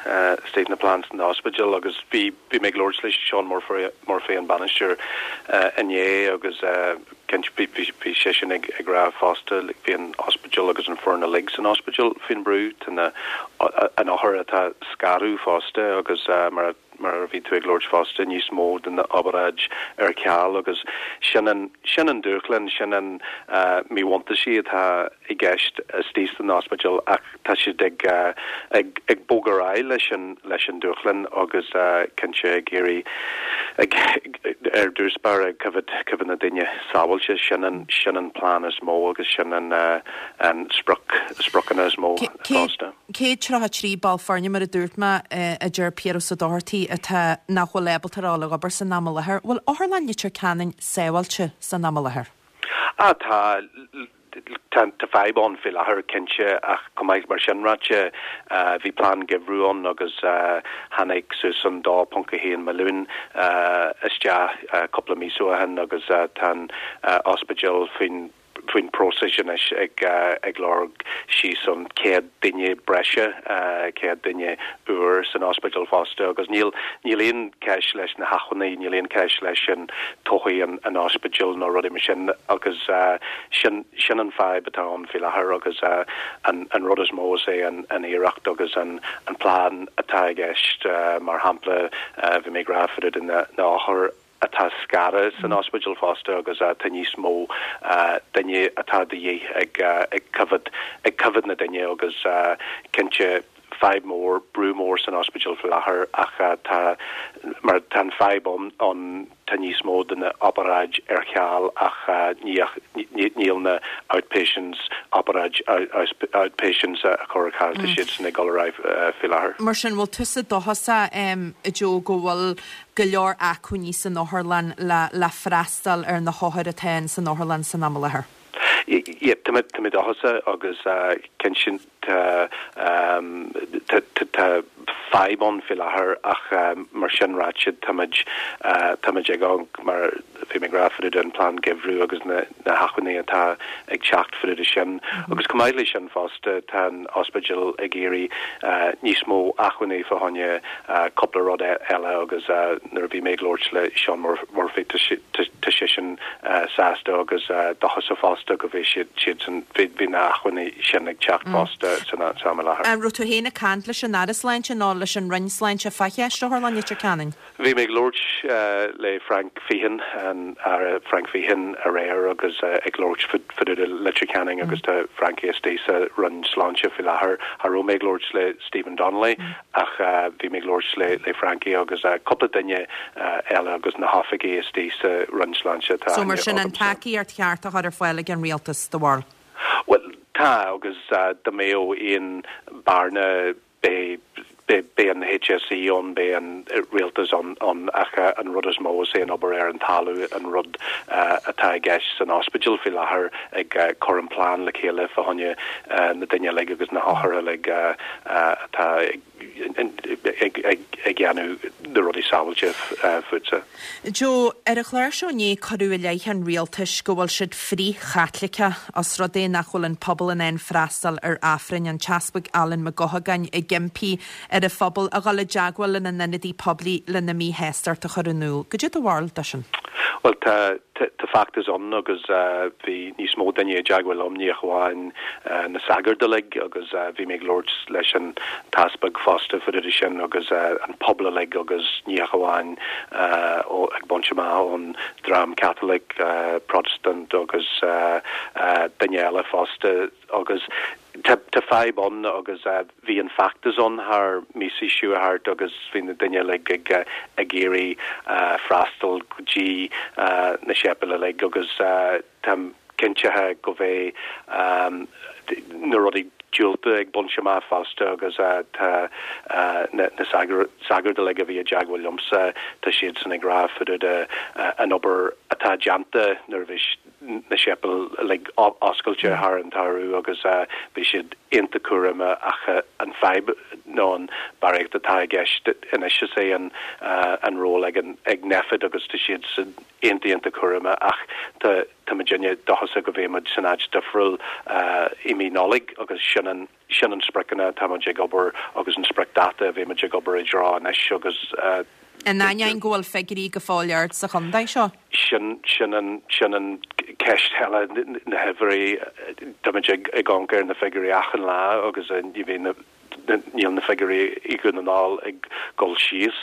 istigh na plans san ospidéal agus bhí bhí mé ag labhairt le Seán Murphy an bainisteoir inné agus cinnte bhí bhí seisean ag ag rá fosta bhí an ospidéal agus an foireann uilig san ospidéal faoin brú tá na an othair atá scaradh fosta agus mar mar a bhí tú ag labhairt fosta níos mó den obráid ar ceal agus sin an sin an dúshlán sin an míbhuntáiste atá i gceist istigh san ospidéal ach tá siad ag ag ag bogadh ar aghaidh leis an leis an dúshlán agus cinnte ag iarraidh ag ar dtús báire ag coimhéad coimhéad na daoine sábháilte sin an sin an plean is mó agus sin an an sprioc spriocanna is mó fosta. Céad tríocha trí ball foirne mar a dúirt mé a deir Piaras Ó Dochartaigh atá nach bhfuil ábalta a dhul ag obair san am i láthair. Bhfuil Otharlann Leitir Ceanainn sábháilte san am i láthair? Ah tá tá tá fadhb ann faoi láthair cinnte ach chomh maith mar sin ráite bhí plean geimhridh ann agus tháinig suas an dó ponc a haon milliún isteach cúpla míosa ó shin agus tá an ospidéal faoin faoin próiseas anois ag ag lorg síos an céad duine breise céad duine úr san ospidéal fosta agus níl níl aon ceist leis na hacmhainní níl aon ceist leis an todhchaí an an ospidéal nó rudaí mar sin agus sin sin an fadhb atá ann faoi láthair agus an an rud is mó is é an an iarracht agus an an plean atá i gceist mar shampla bhí mé ag rá fá dtaobh de na na othair atá scartha san ospidéal fosta agus tá níos mó duine atá de dhíth ag ag coimhéad ag coimhéad na duine agus cinnte fadhb mór brú mór san ospidéal faoi láthair ach tá mar tá an fadhb ann ann tá níos mó de na obráid ar ceal ach ní níl na outpatients obráid outpatients a chur ar ceal tá siad san ag dul ar aghaidh faoi láthair. Mar sin bhfuil tusa dóchasach a Joe go bhfuil go leor acmhainní san otharlann le le freastal ar na hothair atá in san otharlann san am i láthair? Yeah, tá mé tá mé dóchasach agus cinnte tá tá fadhb ann faoi láthair ach mar sin ráite táimid táimid ag mar bhí mé ag rá fá dtaobh den plean geimhridh agus na na hacmhainní atá ag teacht fá dtaobh de sin. Agus chomh maith leis sin fosta tá an ospidéal ag iarraidh níos mó acmhainní fá choinne cúpla rud eile agus nuair a bhí mé ag labhairt le Seán Murphy tá seisean sásta agus dóchasach fosta go bhí siad siad san bhí na hacmhainní sin ag teacht fosta san am i láthair. An raibh tú féin ag caint leis an Aire Sláinte nó leis an Roinn Sláinte fá cheist Otharlann Leitir Ceanainn? Bhí mé ag labhairt le Frank Feighan an Aire Frank Feighan aréir agus ag labhairt fá dtaobh de Leitir Ceanainn agus tá Frankie istigh sa Roinn Sláinte faoi láthair. Cha raibh mé ag labhairt le Stephen Donnelly ach bhí mé ag labhairt le le Frankie agus cúpla duine eile agus na hoifigigh istigh sa Roinn Sláinte atá So mar sin an tacaíocht cheart a chur ar fáil ag an rialtas do bharúil? Well tá agus dá mbeadh aon bearna beidh beidh an HSE ann beidh an rialtas ann ann ach an rud is mó is é an obair ar an talamh an rud atá i gceist san ospidéal faoi láthair ag cur an plean le chéile fá choinne na daoine uilig agus na hothair uilig atá ag ag ag ag déanamh na rudaí sábháilte fútsa. Joe, ar an chlár seo inné cuireadh i leith an rialtais go bhfuil siad frith-Chaitliceach os rud é nach bhfuil an pobal in ann freastal ar Aifreann an tEaspag Alan Mac Gothagáin ag impí ar an phobal a dhul i dteagmháil lena n-ionadaí poiblí lena míshástacht a chur in iúl. Goidé do bharúil de sin? Well tá Tá feachtas ann agus bhí níos mó duine i dteagmháil liom, ní ach amháin na sagairt uilig agus bhí mé ag labhairt leis an t-easpag fosta fá dtaobh de sin agus an pobal uilig agus ní ach amháin ag baint amach ón dream Catholic, Protestant agus duine eile fosta agus tá fadhb ann agus bhí an feachtas ann thar míosaí seo thart agus bhí na daoine uilig ag ag iarraidh freastal go dtí na séipéil uilig agus táim cinntithe go bheidh na rudaí diúlta ag baint amach fosta agus tá na sagairt uilig a bhí i dteagmháil liomsa, tá siadsan ag rá fá dtaobh de an obair atá déanta nuair a bhí na séipéil uilig oscailte thar an tsamhradh agus bhí siad iontach cúramach ach an fadhb nó an barraíocht atá i gceist anois is é an an ról ag an ag Nphet agus tá siad san iontach iontach cúramach ach tá tá muidinne dóchasach go mbeidh muid san áit difriúil i mí Nollag agus sin an sin an spriocanna atá muid ag obair agus an spriocdháta a bheidh muid ag obair i dtreo anois agus In ainneoin go bhfuil figiúirí go fóill ard sa chontae seo? Sin sin an sin an ceist eile na huimhreacha táimid ag ag amharc ar na figiúirí achan lá agus ní bheidh na níl na figiúirí i Dhún na nGall ag dul síos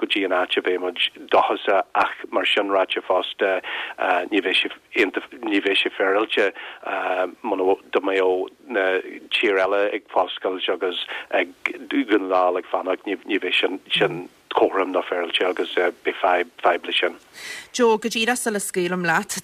go dtí an áit a bheidh muid dóchasach ach mar sin ráite fosta ní bheidh sé ní bheidh sé féaráilte muna dá mbeadh na tír eile ag foscailt agus ag Dún na nGall ag fanacht ní ní bheidh sin sin cothrom ná féaráilte agus beidh fadhb fadhb leis sin. Joe, go díreach sula scaoilim leat,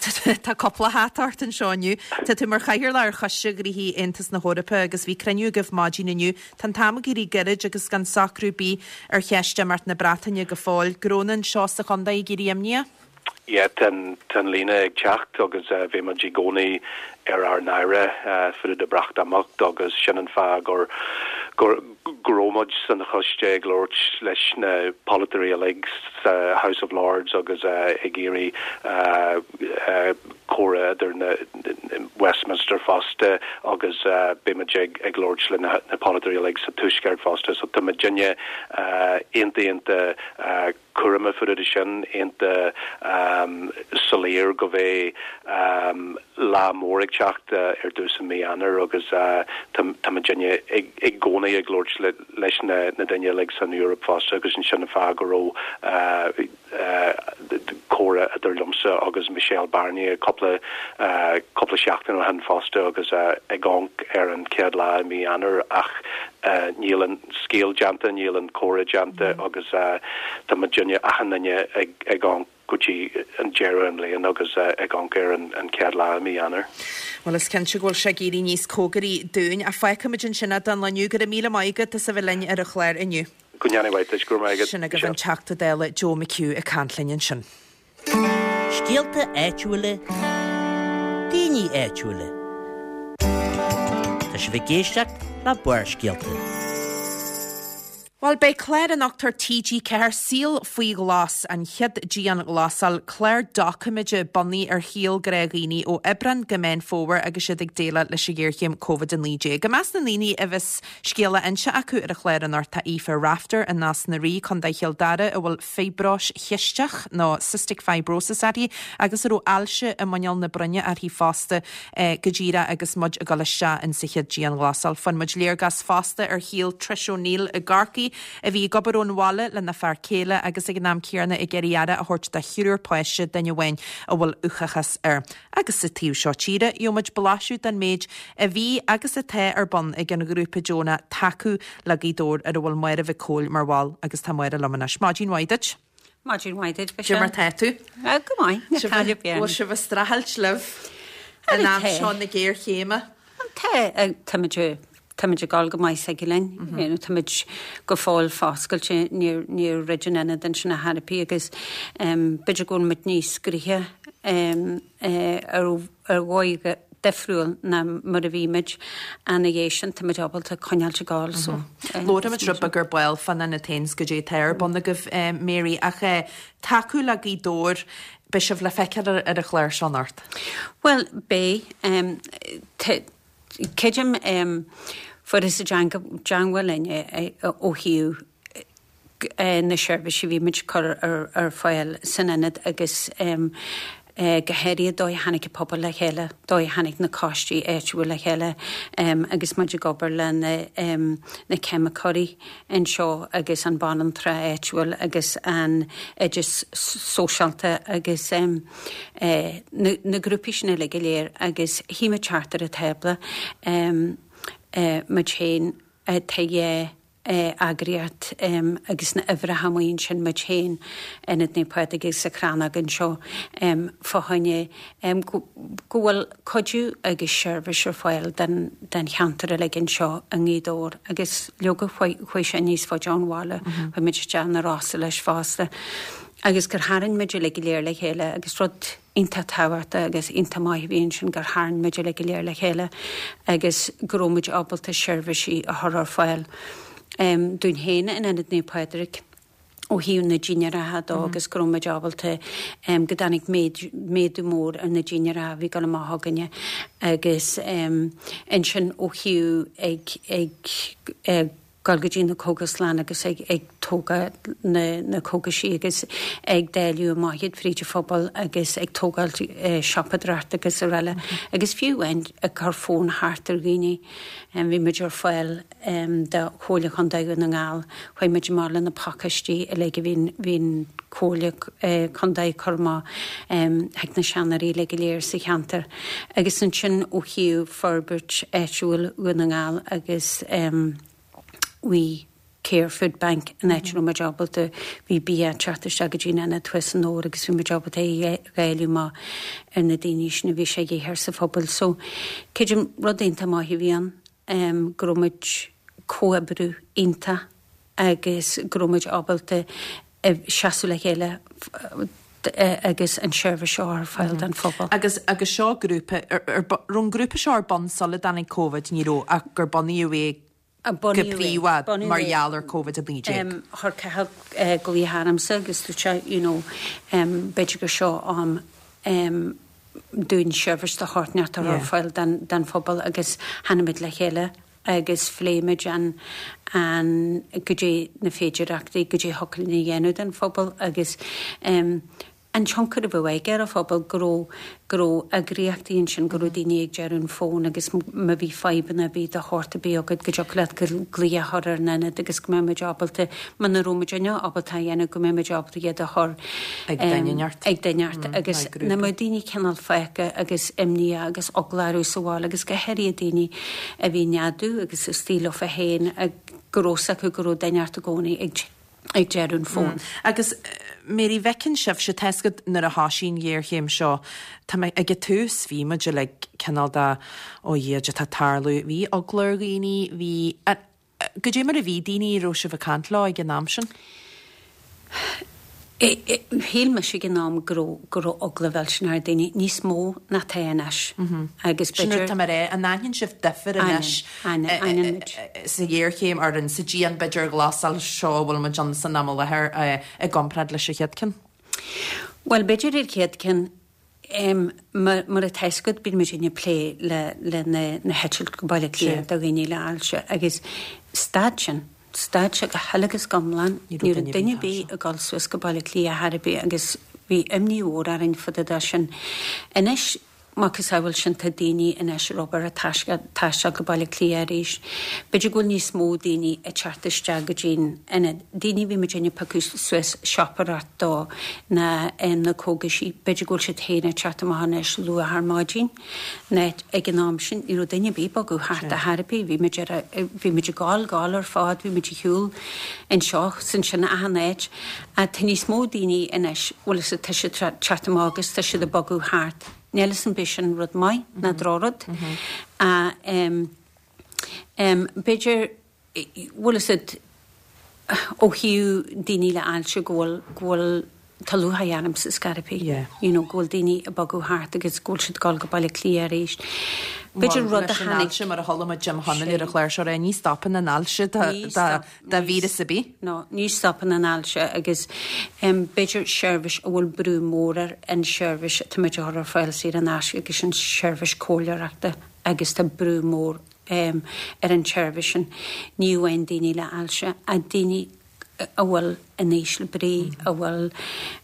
tá cúpla hata ort anseo inniu. Tá tú mar chathaoirleach ar Choiste Gnóthaí Aontas na hEorpa agus bhí cruinniú agaibh maidin inniu. Tá an t-am ag éirí gairid agus gan socrú ar bith ar cheist imeacht na Breataine go fóill. Go raibh anseo sa chontae ag éirí imníoch? Yeah, tá an líne ag teacht agus bhí muid i gcónaí ar ár n-aire fá dtaobh de Breatimeacht agus sin an fáth gur gur go raibh muid san choiste ag labhairt leis na polaiteoirí uilig sa House of Lords agus ag iarraidh comhrá idir na Westminster fosta agus beidh muid ag ag labhairt le na na polaiteoirí uilig sa Tuaisceart fosta so tá muidinne iontach iontach cúramach fá dtaobh de sin iontach soiléir go bheidh lá mór ag teacht ar dtús i mí Eanáir agus tá muidinne ag i gcónaí ag labhairt le leis na na daoine uilig san Eoraip fosta agus ansin an fáth go raibh comhrá idir liomsa agus Michel Barnier cúpla cúpla seachtain ó shin fosta agus ag amharc ar an chéad lá i mí Eanáir ach níl an scéal déanta, níl an comhrá déanta agus tá muidinne achan duine ag ag amharc go dtí an deireadh an bhliain agus ag amharc ar an an chéad lá i mí Eanáir. Well is cinnte go bhfuil sé ag éirí níos cóngaraí dúinn ach fágfaimid ansin é don lá inniu go raibh míle maith agat as a bheith linn ar an chlár inniu. Go ndéana Dia duit, go raibh maith agat. Sin agaibh an Teachta Dála Joe McHugh ag caint linn ansin. Scéalta áitiúla, daoine áitiúla. Tá sibh ag éisteacht le Barrscéalta. Bhuel, beidh clár anocht ar TG Ceathair Saol faoi Ghlas, an chéad dianghlasáil, clár doiciméide bunaithe ar shaol gnáthdhaoine ó Aibreán go Meán Fómhair agus iad ag déileáil leis an ghéarchéim Covid a naoi déag. I measc na ndaoine a bheas scéal á inse acu ar an chlár anocht tá Aoife Rafter i Nás na Rí, Contae Chill Dara, a bhfuil fiobróis chisteach nó cystic fibrosis uirthi agus a raibh ailse i muineál na broinne uirthi fosta go díreach agus muid ag dul isteach in sa chéad dianghlasáil. Fuair muid léargas fosta ar shaol Trish O'Neill i gCorcaigh a bhí ag obair ón bhaile lena fear céile agus ag an am céanna ag iarraidh aire a thabhairt do thriúr páiste duine amháin a bhfuil uathachas air. Agus sa taobh seo tíre, gheobhaimid blaiseadh den méid a bhí agus atá ar bun ag an ghrúpa deonach Tacú le Gaoth Dobhair ar a bhfuil Máire Mhic Cóil mar bhall agus tá Máire liom anois. Maidin mhaith duit. Maidin mhaith duit. Cad é mar tá tú? Go maith Bhfuil sibh ag streachailt libh in am seo na géarchéime? Tá táimid táimid ag dul go maith ag linn táimid go fóill foscailte níor níor dhruid an ionad ansin a therapy agus b'fhéidir go bhfuil muid níos gnoithí ar ar dhóigh difriúil ná mar a bhí muid ina dhiaidh sin táimid ábalta coinneáilt ag dul so. Labhróimid rud beag ar ball fán ionad féin 's goidé atá ar bun agaibh Mary ach tacú le Gaoth Dobhair beidh sibh le feiceáil ar an chlár seo anocht. Well beidh creidim fuarthas i dteangmháil linn ó thaobh na seirbhísí a bhí muid ag cur ar fáil san ionad agus go háirithe dóigh a tháinig an pobal le chéile, dóigh a tháinig na coistí áitiúil le chéile agus muid ag obair le na na ceimiceoirí anseo agus an banaltra áitiúil agus an oide sóisialta agus na na grúpaí sin uilig go léir agus shuigh muid thart ar an tábla muid féin tá eagraíocht agus na uimhreacha amuigh ansin muid féin, Ionad Naomh Pádraig agus an Chrannóg anseo fá choinne go bhfuil cuidiú agus seirbhís ar fáil don cheantar uilig anseo i nGaoth Dobhair agus leoga chuaigh sé níos faide ón bhaile, chuaigh muid isteach na Rosa leis fosta agus gur tharraing muid uilig go léir le chéile agus rud iontach tábhachtach agus iontach maith a bhí ansin gur tharraing muid uilig go léir le chéile agus go raibh muid ábalta seirbhísí a chur ar fáil dúinn féin in Ionad Naomh Pádraig ó thaobh na dinnéaracha dó agus go raibh muid ábalta go dtáinig méadú mór ar na dinnéaracha a bhí ag dul amach againne agus ansin ó thaobh ag ag dul go dtí na cógaslanna agus ag ag tógáil na na cógaisí agus ag dáileadh amach iad fríd an phobal agus ag tógáil siopadóireacht agus araile agus fiú amháin ag cur fón thart ar dhaoine. Bhí muid ar fáil do Chomhairle Chontae Dhún na nGall, chuaigh muid amach le na pacáistí uilig a bhí bhí an Comhairle Contae ag cur amach chuig na seanóirí uilig go léir sa cheantar agus ansin ó thaobh forbairt áitiúil Dhún na nGall agus We Care Food Bank an áit a raibh muid ábalta, bhí bia ag teacht isteach go dtí an ionad thuas i nDobhar agus bhí muid ábalta é a dháileadh amach ar na daoine sin a bhí sé de dhíth air sa phobal. So, creidim, rud iontach maith a bhí ann, go raibh muid comhoibriú iontach agus go raibh muid ábalta seasamh le chéile agus an seirbhís seo ar fáil don phobal. Agus agus seo grúpa, raibh an grúpa seo ar bun sula dtáinig Covid, ní raibh, ach gur bunaíodh é go príomha mar gheall ar Covid a naoi déag. Chuir Cathal glaoch ormsa agus dúirt sé, you know, b'fhéidir gur seo am dúinn seirbhís de shórt inteacht a chur ar fáil don phobal agus tháinig muid le chéile agus phléigh muid an an goidé na féidireachtaí, goidé a thiocfadh linn a dhéanamh don phobal agus an tionchar a bheadh aige ar an phobal, go raibh, go raibh eagraíochtaí ansin, go raibh daoine ag deireadh an fóin agus má bhí fadhbanna ar bith de shórt ar bith agat go dtiocfadh leat glaoch a chur ar an ionad agus go mbeadh muid ábalta, muna raibh muidinne ábalta a dhéanamh, go mbeadh muid ábalta iad a chur Ag duine inteacht. ag duine inteacht agus nach mbeadh daoine cineál fágtha agus imníoch agus eagla orthu sa bhaile agus go háirithe daoine a bhí neadú agus istigh leofa féin go raibh 's acu go raibh duine inteacht i gcónaí ag ag deireadh an fóin. Agus Mary, bhfeiceann sibhse, tá 'fhios agat nuair a thoisigh an ghéarchéim seo, tá mé, ag an tús bhí muid uilig cineál de, ó Dhia, cad tá ag tarlú, bhí eagla ar dhaoine, bhí, goidé mar a bhí daoine a raibh sibh ag caint leo ag an am sin? Shíl mise ag an am go raibh, go raibh eagla mhillteanach ar daoine, níos mó ná tá anois. Agus Sin rud b'fhéidir. tá mé a rá, an aithníonn sibh difear anois Aithníonn, aithníonn muid. sa ghéarchéim ar an, sa dian b'fhéidir ghlasáil seo a bhfuil muid ann san am i láthair i gcomparáid leis an chéad ceann? Bhuel, b'fhéidir ar chéad ceann, mar mar atá 'fhios agat, bíonn muid ag plé le le na na heitilt go Baile Átha Cliath do dhaoine le hailse agus stad sin. Stad sé go huile agus go hiomlán. Ní raibh duine ar bith ag dul suas go Baile Átha Cliath ar chor ar bith agus bhí imní mhór orainn fá dtaobh de sin. Anois, macasamhail sin, tá daoine anois ar obair ag taisteal go Baile Átha Cliath arís. B'fhéidir go bhfuil níos mó daoine ag teacht isteach go dtí'n ionad. Daoine a bhí muid ag piocadh suas siopadóireacht dó na na cógaisí, b'fhéidir go bhfuil siad féin ag teacht amach anois luath ar maidin. Ná ag an am sin ní raibh duine ar bith ag bogadh thart ar chor ar bith, bhí muid ar, bhí muid ag gabháil, gabháil ar fad, bhí muid ar shiúl anseo 's ansin achan áit. Ach tá níos mó daoine anois, bhfuil 'fhios a'd, tá siad ag teacht amach agus tá siad ag bogadh thart. Níl 'fhios a'm an é sin rud maith ná drochrud. Ach em, em, b'fhéidir, bhfuil 'fhios a'd, ó thaobh daoine le ailse go bhfuil, go bhfuil, tá lúcháir ormsa scor ar bith, you know, go bhfuil daoine ag bogadh thart agus go bhfuil siad ag dul go Baile Átha Cliath arís. B'fhéidir rud a tháinig. Leis an ailse mar a chuala muid Jim Chonaill ar an chlár seo ní stopann an ailse de víreas ar bith. No, ní stopann an ailse agus b'fhéidir seirbhís a bhfuil brú mór air an seirbhís atá muid a chur ar fáil saor in aisce agus an seirbhís comhairleoireachta agus tá brú mór ar an tseirbhís sin. Ní amháin daoine le ailse ach daoine a bhfuil in ísle brí, a bhfuil,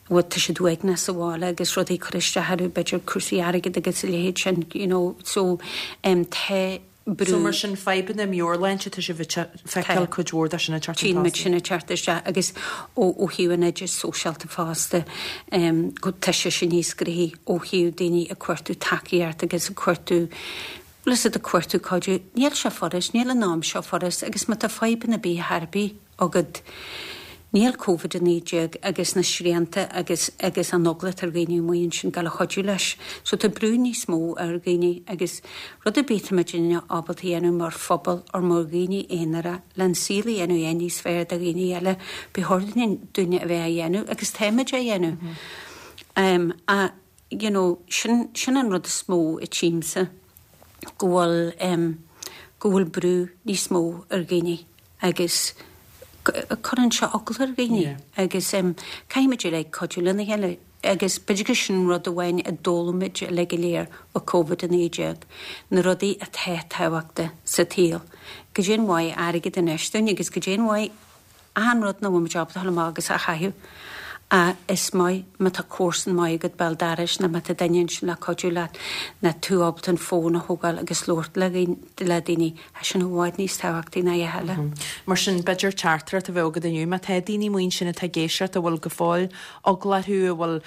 bhfuil, tá siad uaigneach sa bhaile agus rudaí ag cur isteach orthu, b'fhéidir cúrsaí airgid agus a leithéid sin, you know, so em tá brú. So mar sin fadhbanna meabhairshláinte tá sibh ag feiceáil cuid mhór de sin ag teacht chun Tchíonn muid tosaigh. sin ag teacht isteach agus ó ó thaobh an oideachais sóisialta fosta em go tá sé sin níos gnoithí ó thaobh daoine ag cuartú tacaíocht agus ag cuartú bhfuil a fhios agat ag cuartú cuidiú. Níl sé furast, níl an am seo furast agus má tá fadhbanna ar bith ar bith agat níl Covid a naoi déag agus na srianta agus agus an eagla atá ar dhaoine amuigh ansin ag gabháil a chuidiú leis. So tá brú níos mó ar dhaoine agus rud ar bith tá muidinne ábalta a dhéanamh mar phobal or mar dhaoine aonara le an saol a dhéanamh é níos fearr do dhaoine eile, ba chóir dúinne a bheith á dhéanamh agus táimid á dhéanamh. Um, a, you know, sin, sin an rud is mó a tchímse go bhfuil um, go bhfuil brú níos mó ar dhaoine agus cuireann sé eagla ar dhaoine agus um, caithfimid uilig cuidiú lena chéile agus b'fhéidir gur sin rud amháin a d'fhoghlaim muid uilig go léir ó Covid a naoi déag, na rudaí atá tábhachtach sa tsaol. Goidé an mhaith airgead anois dúinn agus goidé an mhaith achan rud nach bhfuil muid ábalta dul amach agus a chaitheamh. A is maith má tá comharsan maith agat béal dorais nó má tá duine ansin le cuidiú leat nó tú ábalta an fón a thógáil agus labhairt le le daoine, tá sin i bhfad níos tábhachtaí ná a thuilleadh. Mar sin, b'fhéidir teachtaireacht a bheith agat inniu, má tá daoine amuigh ansin atá ag éisteacht a bhfuil go fóill eagla orthu, a bhfuil,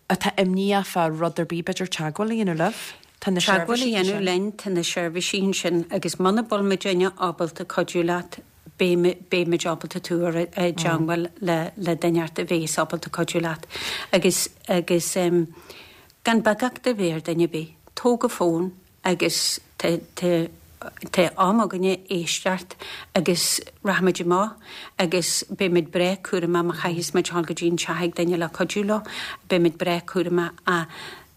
atá imníoch fá rud ar bith, b'fhéidir teagmháil a dhéanamh libh? Tá na Teagmháil a seirbhísí dhéanamh ansin. linn, tá na seirbhísí ansin agus muna bhfuil muidinne ábalta cuidiú leat, beimid ábalta tú a chur i dteangmháil le le duine a bheas ábalta cuidiú leat agus agus um, gan beagacht a bheith ar duine ar bith. Tóg an fón agus tá tá tá am againne éisteacht agus rachaimid amach agus beimid breá cúramach má chaithfidh muid dul go dtí an teach ag duine le cuidiú leo, beimid breá cúramach a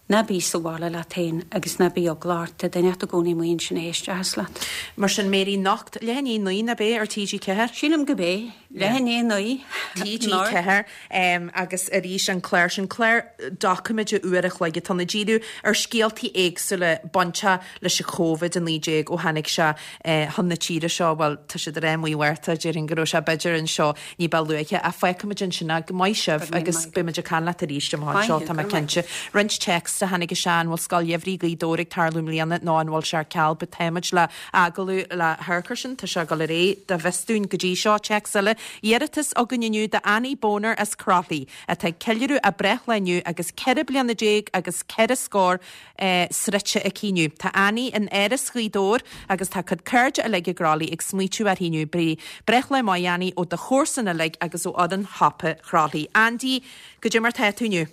Ná bí sa bhaile leat féin agus ná bí eagla ort, tá duine i gcónaí amuigh ansin a éistfeas leat. Mar sin Mary anocht, leath i ndiaidh a naoi ab é ar TG Ceathair? Sílim gurb é, leath i ndiaidh a naoi. TG Ceathair agus arís an clár sin clár doiciméide uair a chloig atá ag díriú ar scéaltaí éagsúla bainteach leis an Covid a naoi déag ó tháinig sé chun na tíre seo, bhuel tá siad ar mí Mhárta déarfainn go raibh sé b'fhéidir anseo ní ba luaithe ach feicfimid ansin go maith sibh agus beimid ag caint leat arís amach anseo tá mé cinnte. Roinnt téacs a tháinig isteach an bhfuil Scoil Gheimhridh Ghaoth Dobhair ag tarlú i mbliana nó an bhfuil sé ar ceal but táimid le agallamh le hamharc sin tá sé ag dul ar aghaidh dá bhfios dúinn go dtí seo téacs eile iarratas againn inniu do Annie Boner as Croithlí atá ag ceiliúradh a breithlá inniu agus ceithre bliana déag agus ceithre scór eh, sroichte aici inniu. Tá Annie in Áras Ghaoth Dobhair agus tá cuid cairde uilig i gCroithlí ag smaoitiú uirthi inniu bre breithlá maith Annie ó do chomharsana uilig agus ó fhoireann Shiopa Chroithlí. Andy, goidé mar tá tú inniu.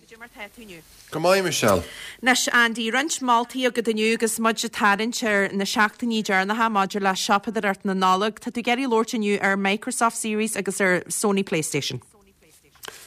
Go maith Michelle. Anois Andy, roinnt moltaí agat inniu agus muid ag tarraingt ar na seachtainí deireanacha maidir le siopadóireacht na Nollag. Tá tú ag iarraidh labhairt inniu ar Microsoft Series agus ar Sony PlayStation.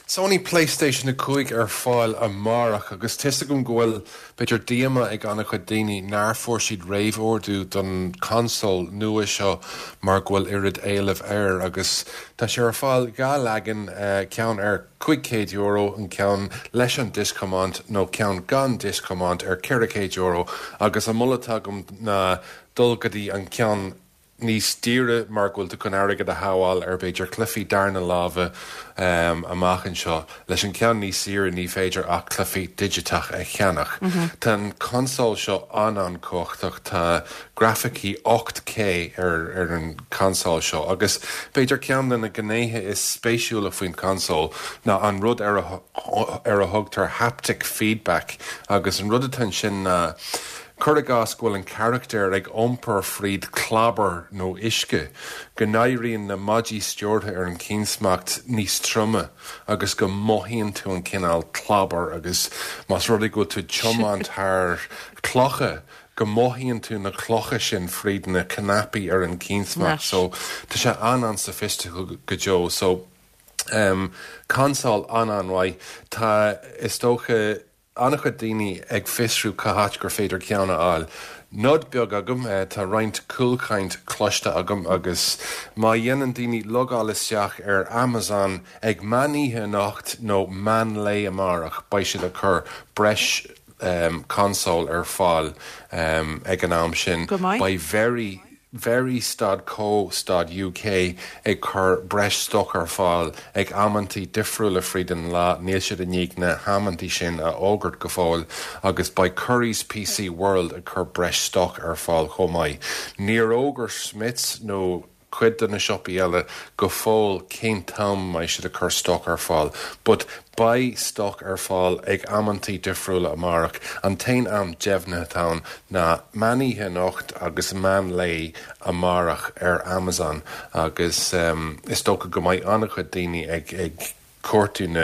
Sony PlayStation a cúig ar fáil amárach agus tá a fhios agam go bhfuil b'fhéidir díomá ag an-chuid daoine nár fuair siad réamhordú don console nua seo mar go bhfuil oiread éilimh air agus tá sé ar fáil dhá leagan uh, ceann ar cúig chéad euro an ceann leis an disc-thiomáint nó ceann gan disc-thiomáint ar ceithre chéad euro agus an moladh atá agam ná dul go dtí an ceann níos daoire mar go bhfuil tú chun airgead a shábháil ar b'fhéidir cluichí darna láimhe um, amach anseo leis an ceann níos saoire ní féidir ach cluichí digiteach a cheannach. Mm -hmm. Tá an console seo an an-chumhachtach tá grafaicí ocht K ar ar an console seo agus b'fhéidir ceann de na gnéithe is spéisiúla faoin console ná an rud ar a, ar a thugtar haptic feedback agus an rud atá sin ná Cuir i gcás go bhfuil an carachtar ag iompar fríd chlabhar nó uisce, go n-éiríonn na maidí stiúrtha ar an chiansmacht níos troime agus go mothaíonn tú an cineál clábar agus más rud é go bhfuil tú ag tiomáint thar clocha go mothaíonn tú na clocha sin fríd na cnaipí ar an chiansmacht so tá sé an an-soifisticiúil go deo so um, console an an-mhaith tá is dócha an-chuid daoine ag fiosrú cá háit gur féidir ceann a fháil. Nod beag agam eh, tá roinnt cúlchaint cloiste agam agus má dhéanann daoine logáil isteach ar Amazon ag meán oíche anocht nó meán lae amárach beidh siad ag cur breis um, console ar fáil um, ag an am sin. Go maith. Beidh very Very stad co stad UK ag cur breis stoc ar fáil ag amantaí difriúla fríd an lá níl siad i ndiaidh na hamantaí sin a fhógairt go fóill agus beidh Currys PC World ag cur breis stoc ar fáil chomh maith. Níor fhógair Smiths nó cuid de na siopaí eile go fóill cén t-am a mbeidh siad ag cur stoc ar fáil, but beidh stoc ar fáil ag amantaí difriúla amárach. An t-aon am deimhnithe atá ann ná meán oíche anocht agus meán lae amárach ar Amazon agus is dócha go mbeidh an-chuid daoine ag ag cuartú na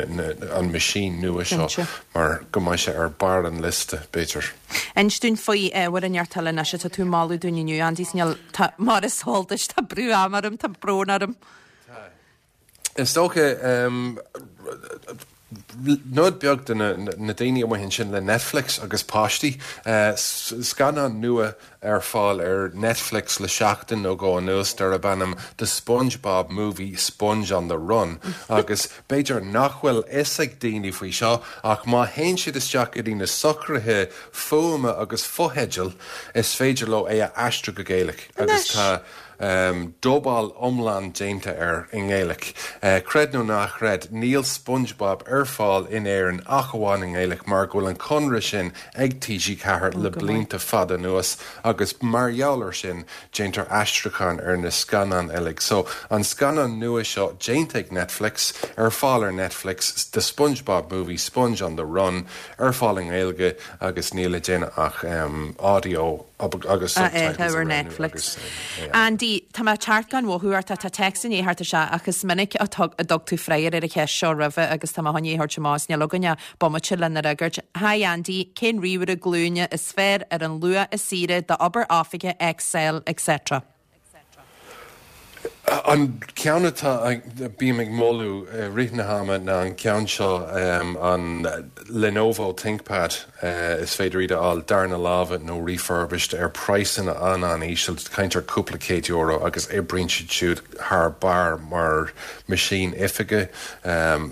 an machine nua seo mar go mbeidh sé ar barr an liosta, b'fhéidir. Inis dúinn faoi ábhar inteacht eile anois atá tú ag moladh dúinn inniu, Andy, is níl, tá, mar is eol duit, tá brú ama orm, tá brón orm. Tá. Is dócha, nod beag do na daoine amuigh ansin le Netflix agus páistí. Scannán nua ar fáil ar Netflix le seachtain nó dhó anuas darb ainm The SpongeBob Movie, Sponge on the Run agus b'fhéidir nach bhfuil fhios ag daoine faoi seo ach má théann siad isteach go dtí na socruithe fuaime agus fotheidil is féidir leo é a aistriú go Gaeilge agus tá Dubáil iomlán déanta air i nGaeilge. Creid nó ná chreid, níl SpongeBob ar fáil in Éirinn ach amháin i nGaeilge mar go bhfuil an conradh sin ag T G ceathair le blianta fada anuas agus mar gheall ar sin déantar aistriúchán ar na scannáin uilig. So, an scannán nua seo déanta ag Netflix, ar fáil ar Netflix, The SpongeBob Movie, Sponge on the Run, ar fáil i nGaeilge agus níl le déanamh ach audio agus a subtitles fheiceáil a ar roghnú Netflix. agus é. Andy, tá mé ag teacht gan mhothú ort, tá téacs i ndiaidh theacht isteach ach is minic a dtug tú freagra ar an cheist seo roimhe agus tá mé chun é a thabhairt amach is níl againn ach bomaite lena fhreagairt. Hi Andy, cén ríomhaire glúine is fearr ar an luach is saoire d'obair oifige, Excel, etc.? An ceann atá bím ag moladh i rith na hama ná an ceann seo, an Lenovo ThinkPad. Is féidir iad a fháil darna láimhe nó refurbished ar praghsanna an-an-íseal, caint ar cúpla céad euro agus oibríonn siad siúd thar barr mar machine oifige.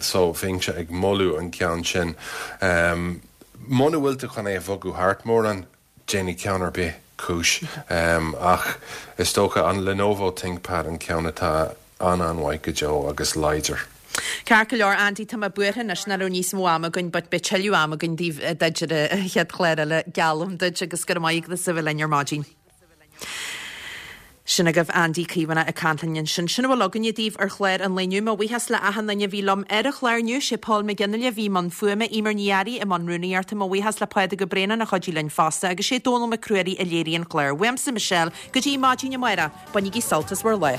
So bheinnse ag moladh an ceann sin. Muna bhfuil tú chun é a bhogadh thart mórán, déanfaidh ceann ar bith cúis. Ach is dócha an Lenovo ThinkPad an ceann atá an-an-mhaith go deo agus láidir. Ceart go leor, Andy, tá mé buartha anois nach raibh níos mó ama againn but beidh tuilleadh ama againn daoibh duit ar an chéad chlár eile, geallaim duit, agus go raibh maith agat as a bheith linn ar maidin. Sin agaibh Andy Caomhánach ag caint linn ansin. Sin a bhfuil againne daoibh ar chlár an lae inniu. Mo bhuíochas le achan duine a bhí liom ar an chlár inniu. Sé Paul McGinley a bhí i mbun fuaime, Eimear Ní Fhearraigh i mbun rúnaíochta. Mo bhuíochas le Pádraig Ó Braonáin a chuidigh linn fosta agus sé Dónal Mac Ruairí a léirigh an clár. Uaimse Michelle, go dtí maidin amárach, bainigí sult as bhur lá.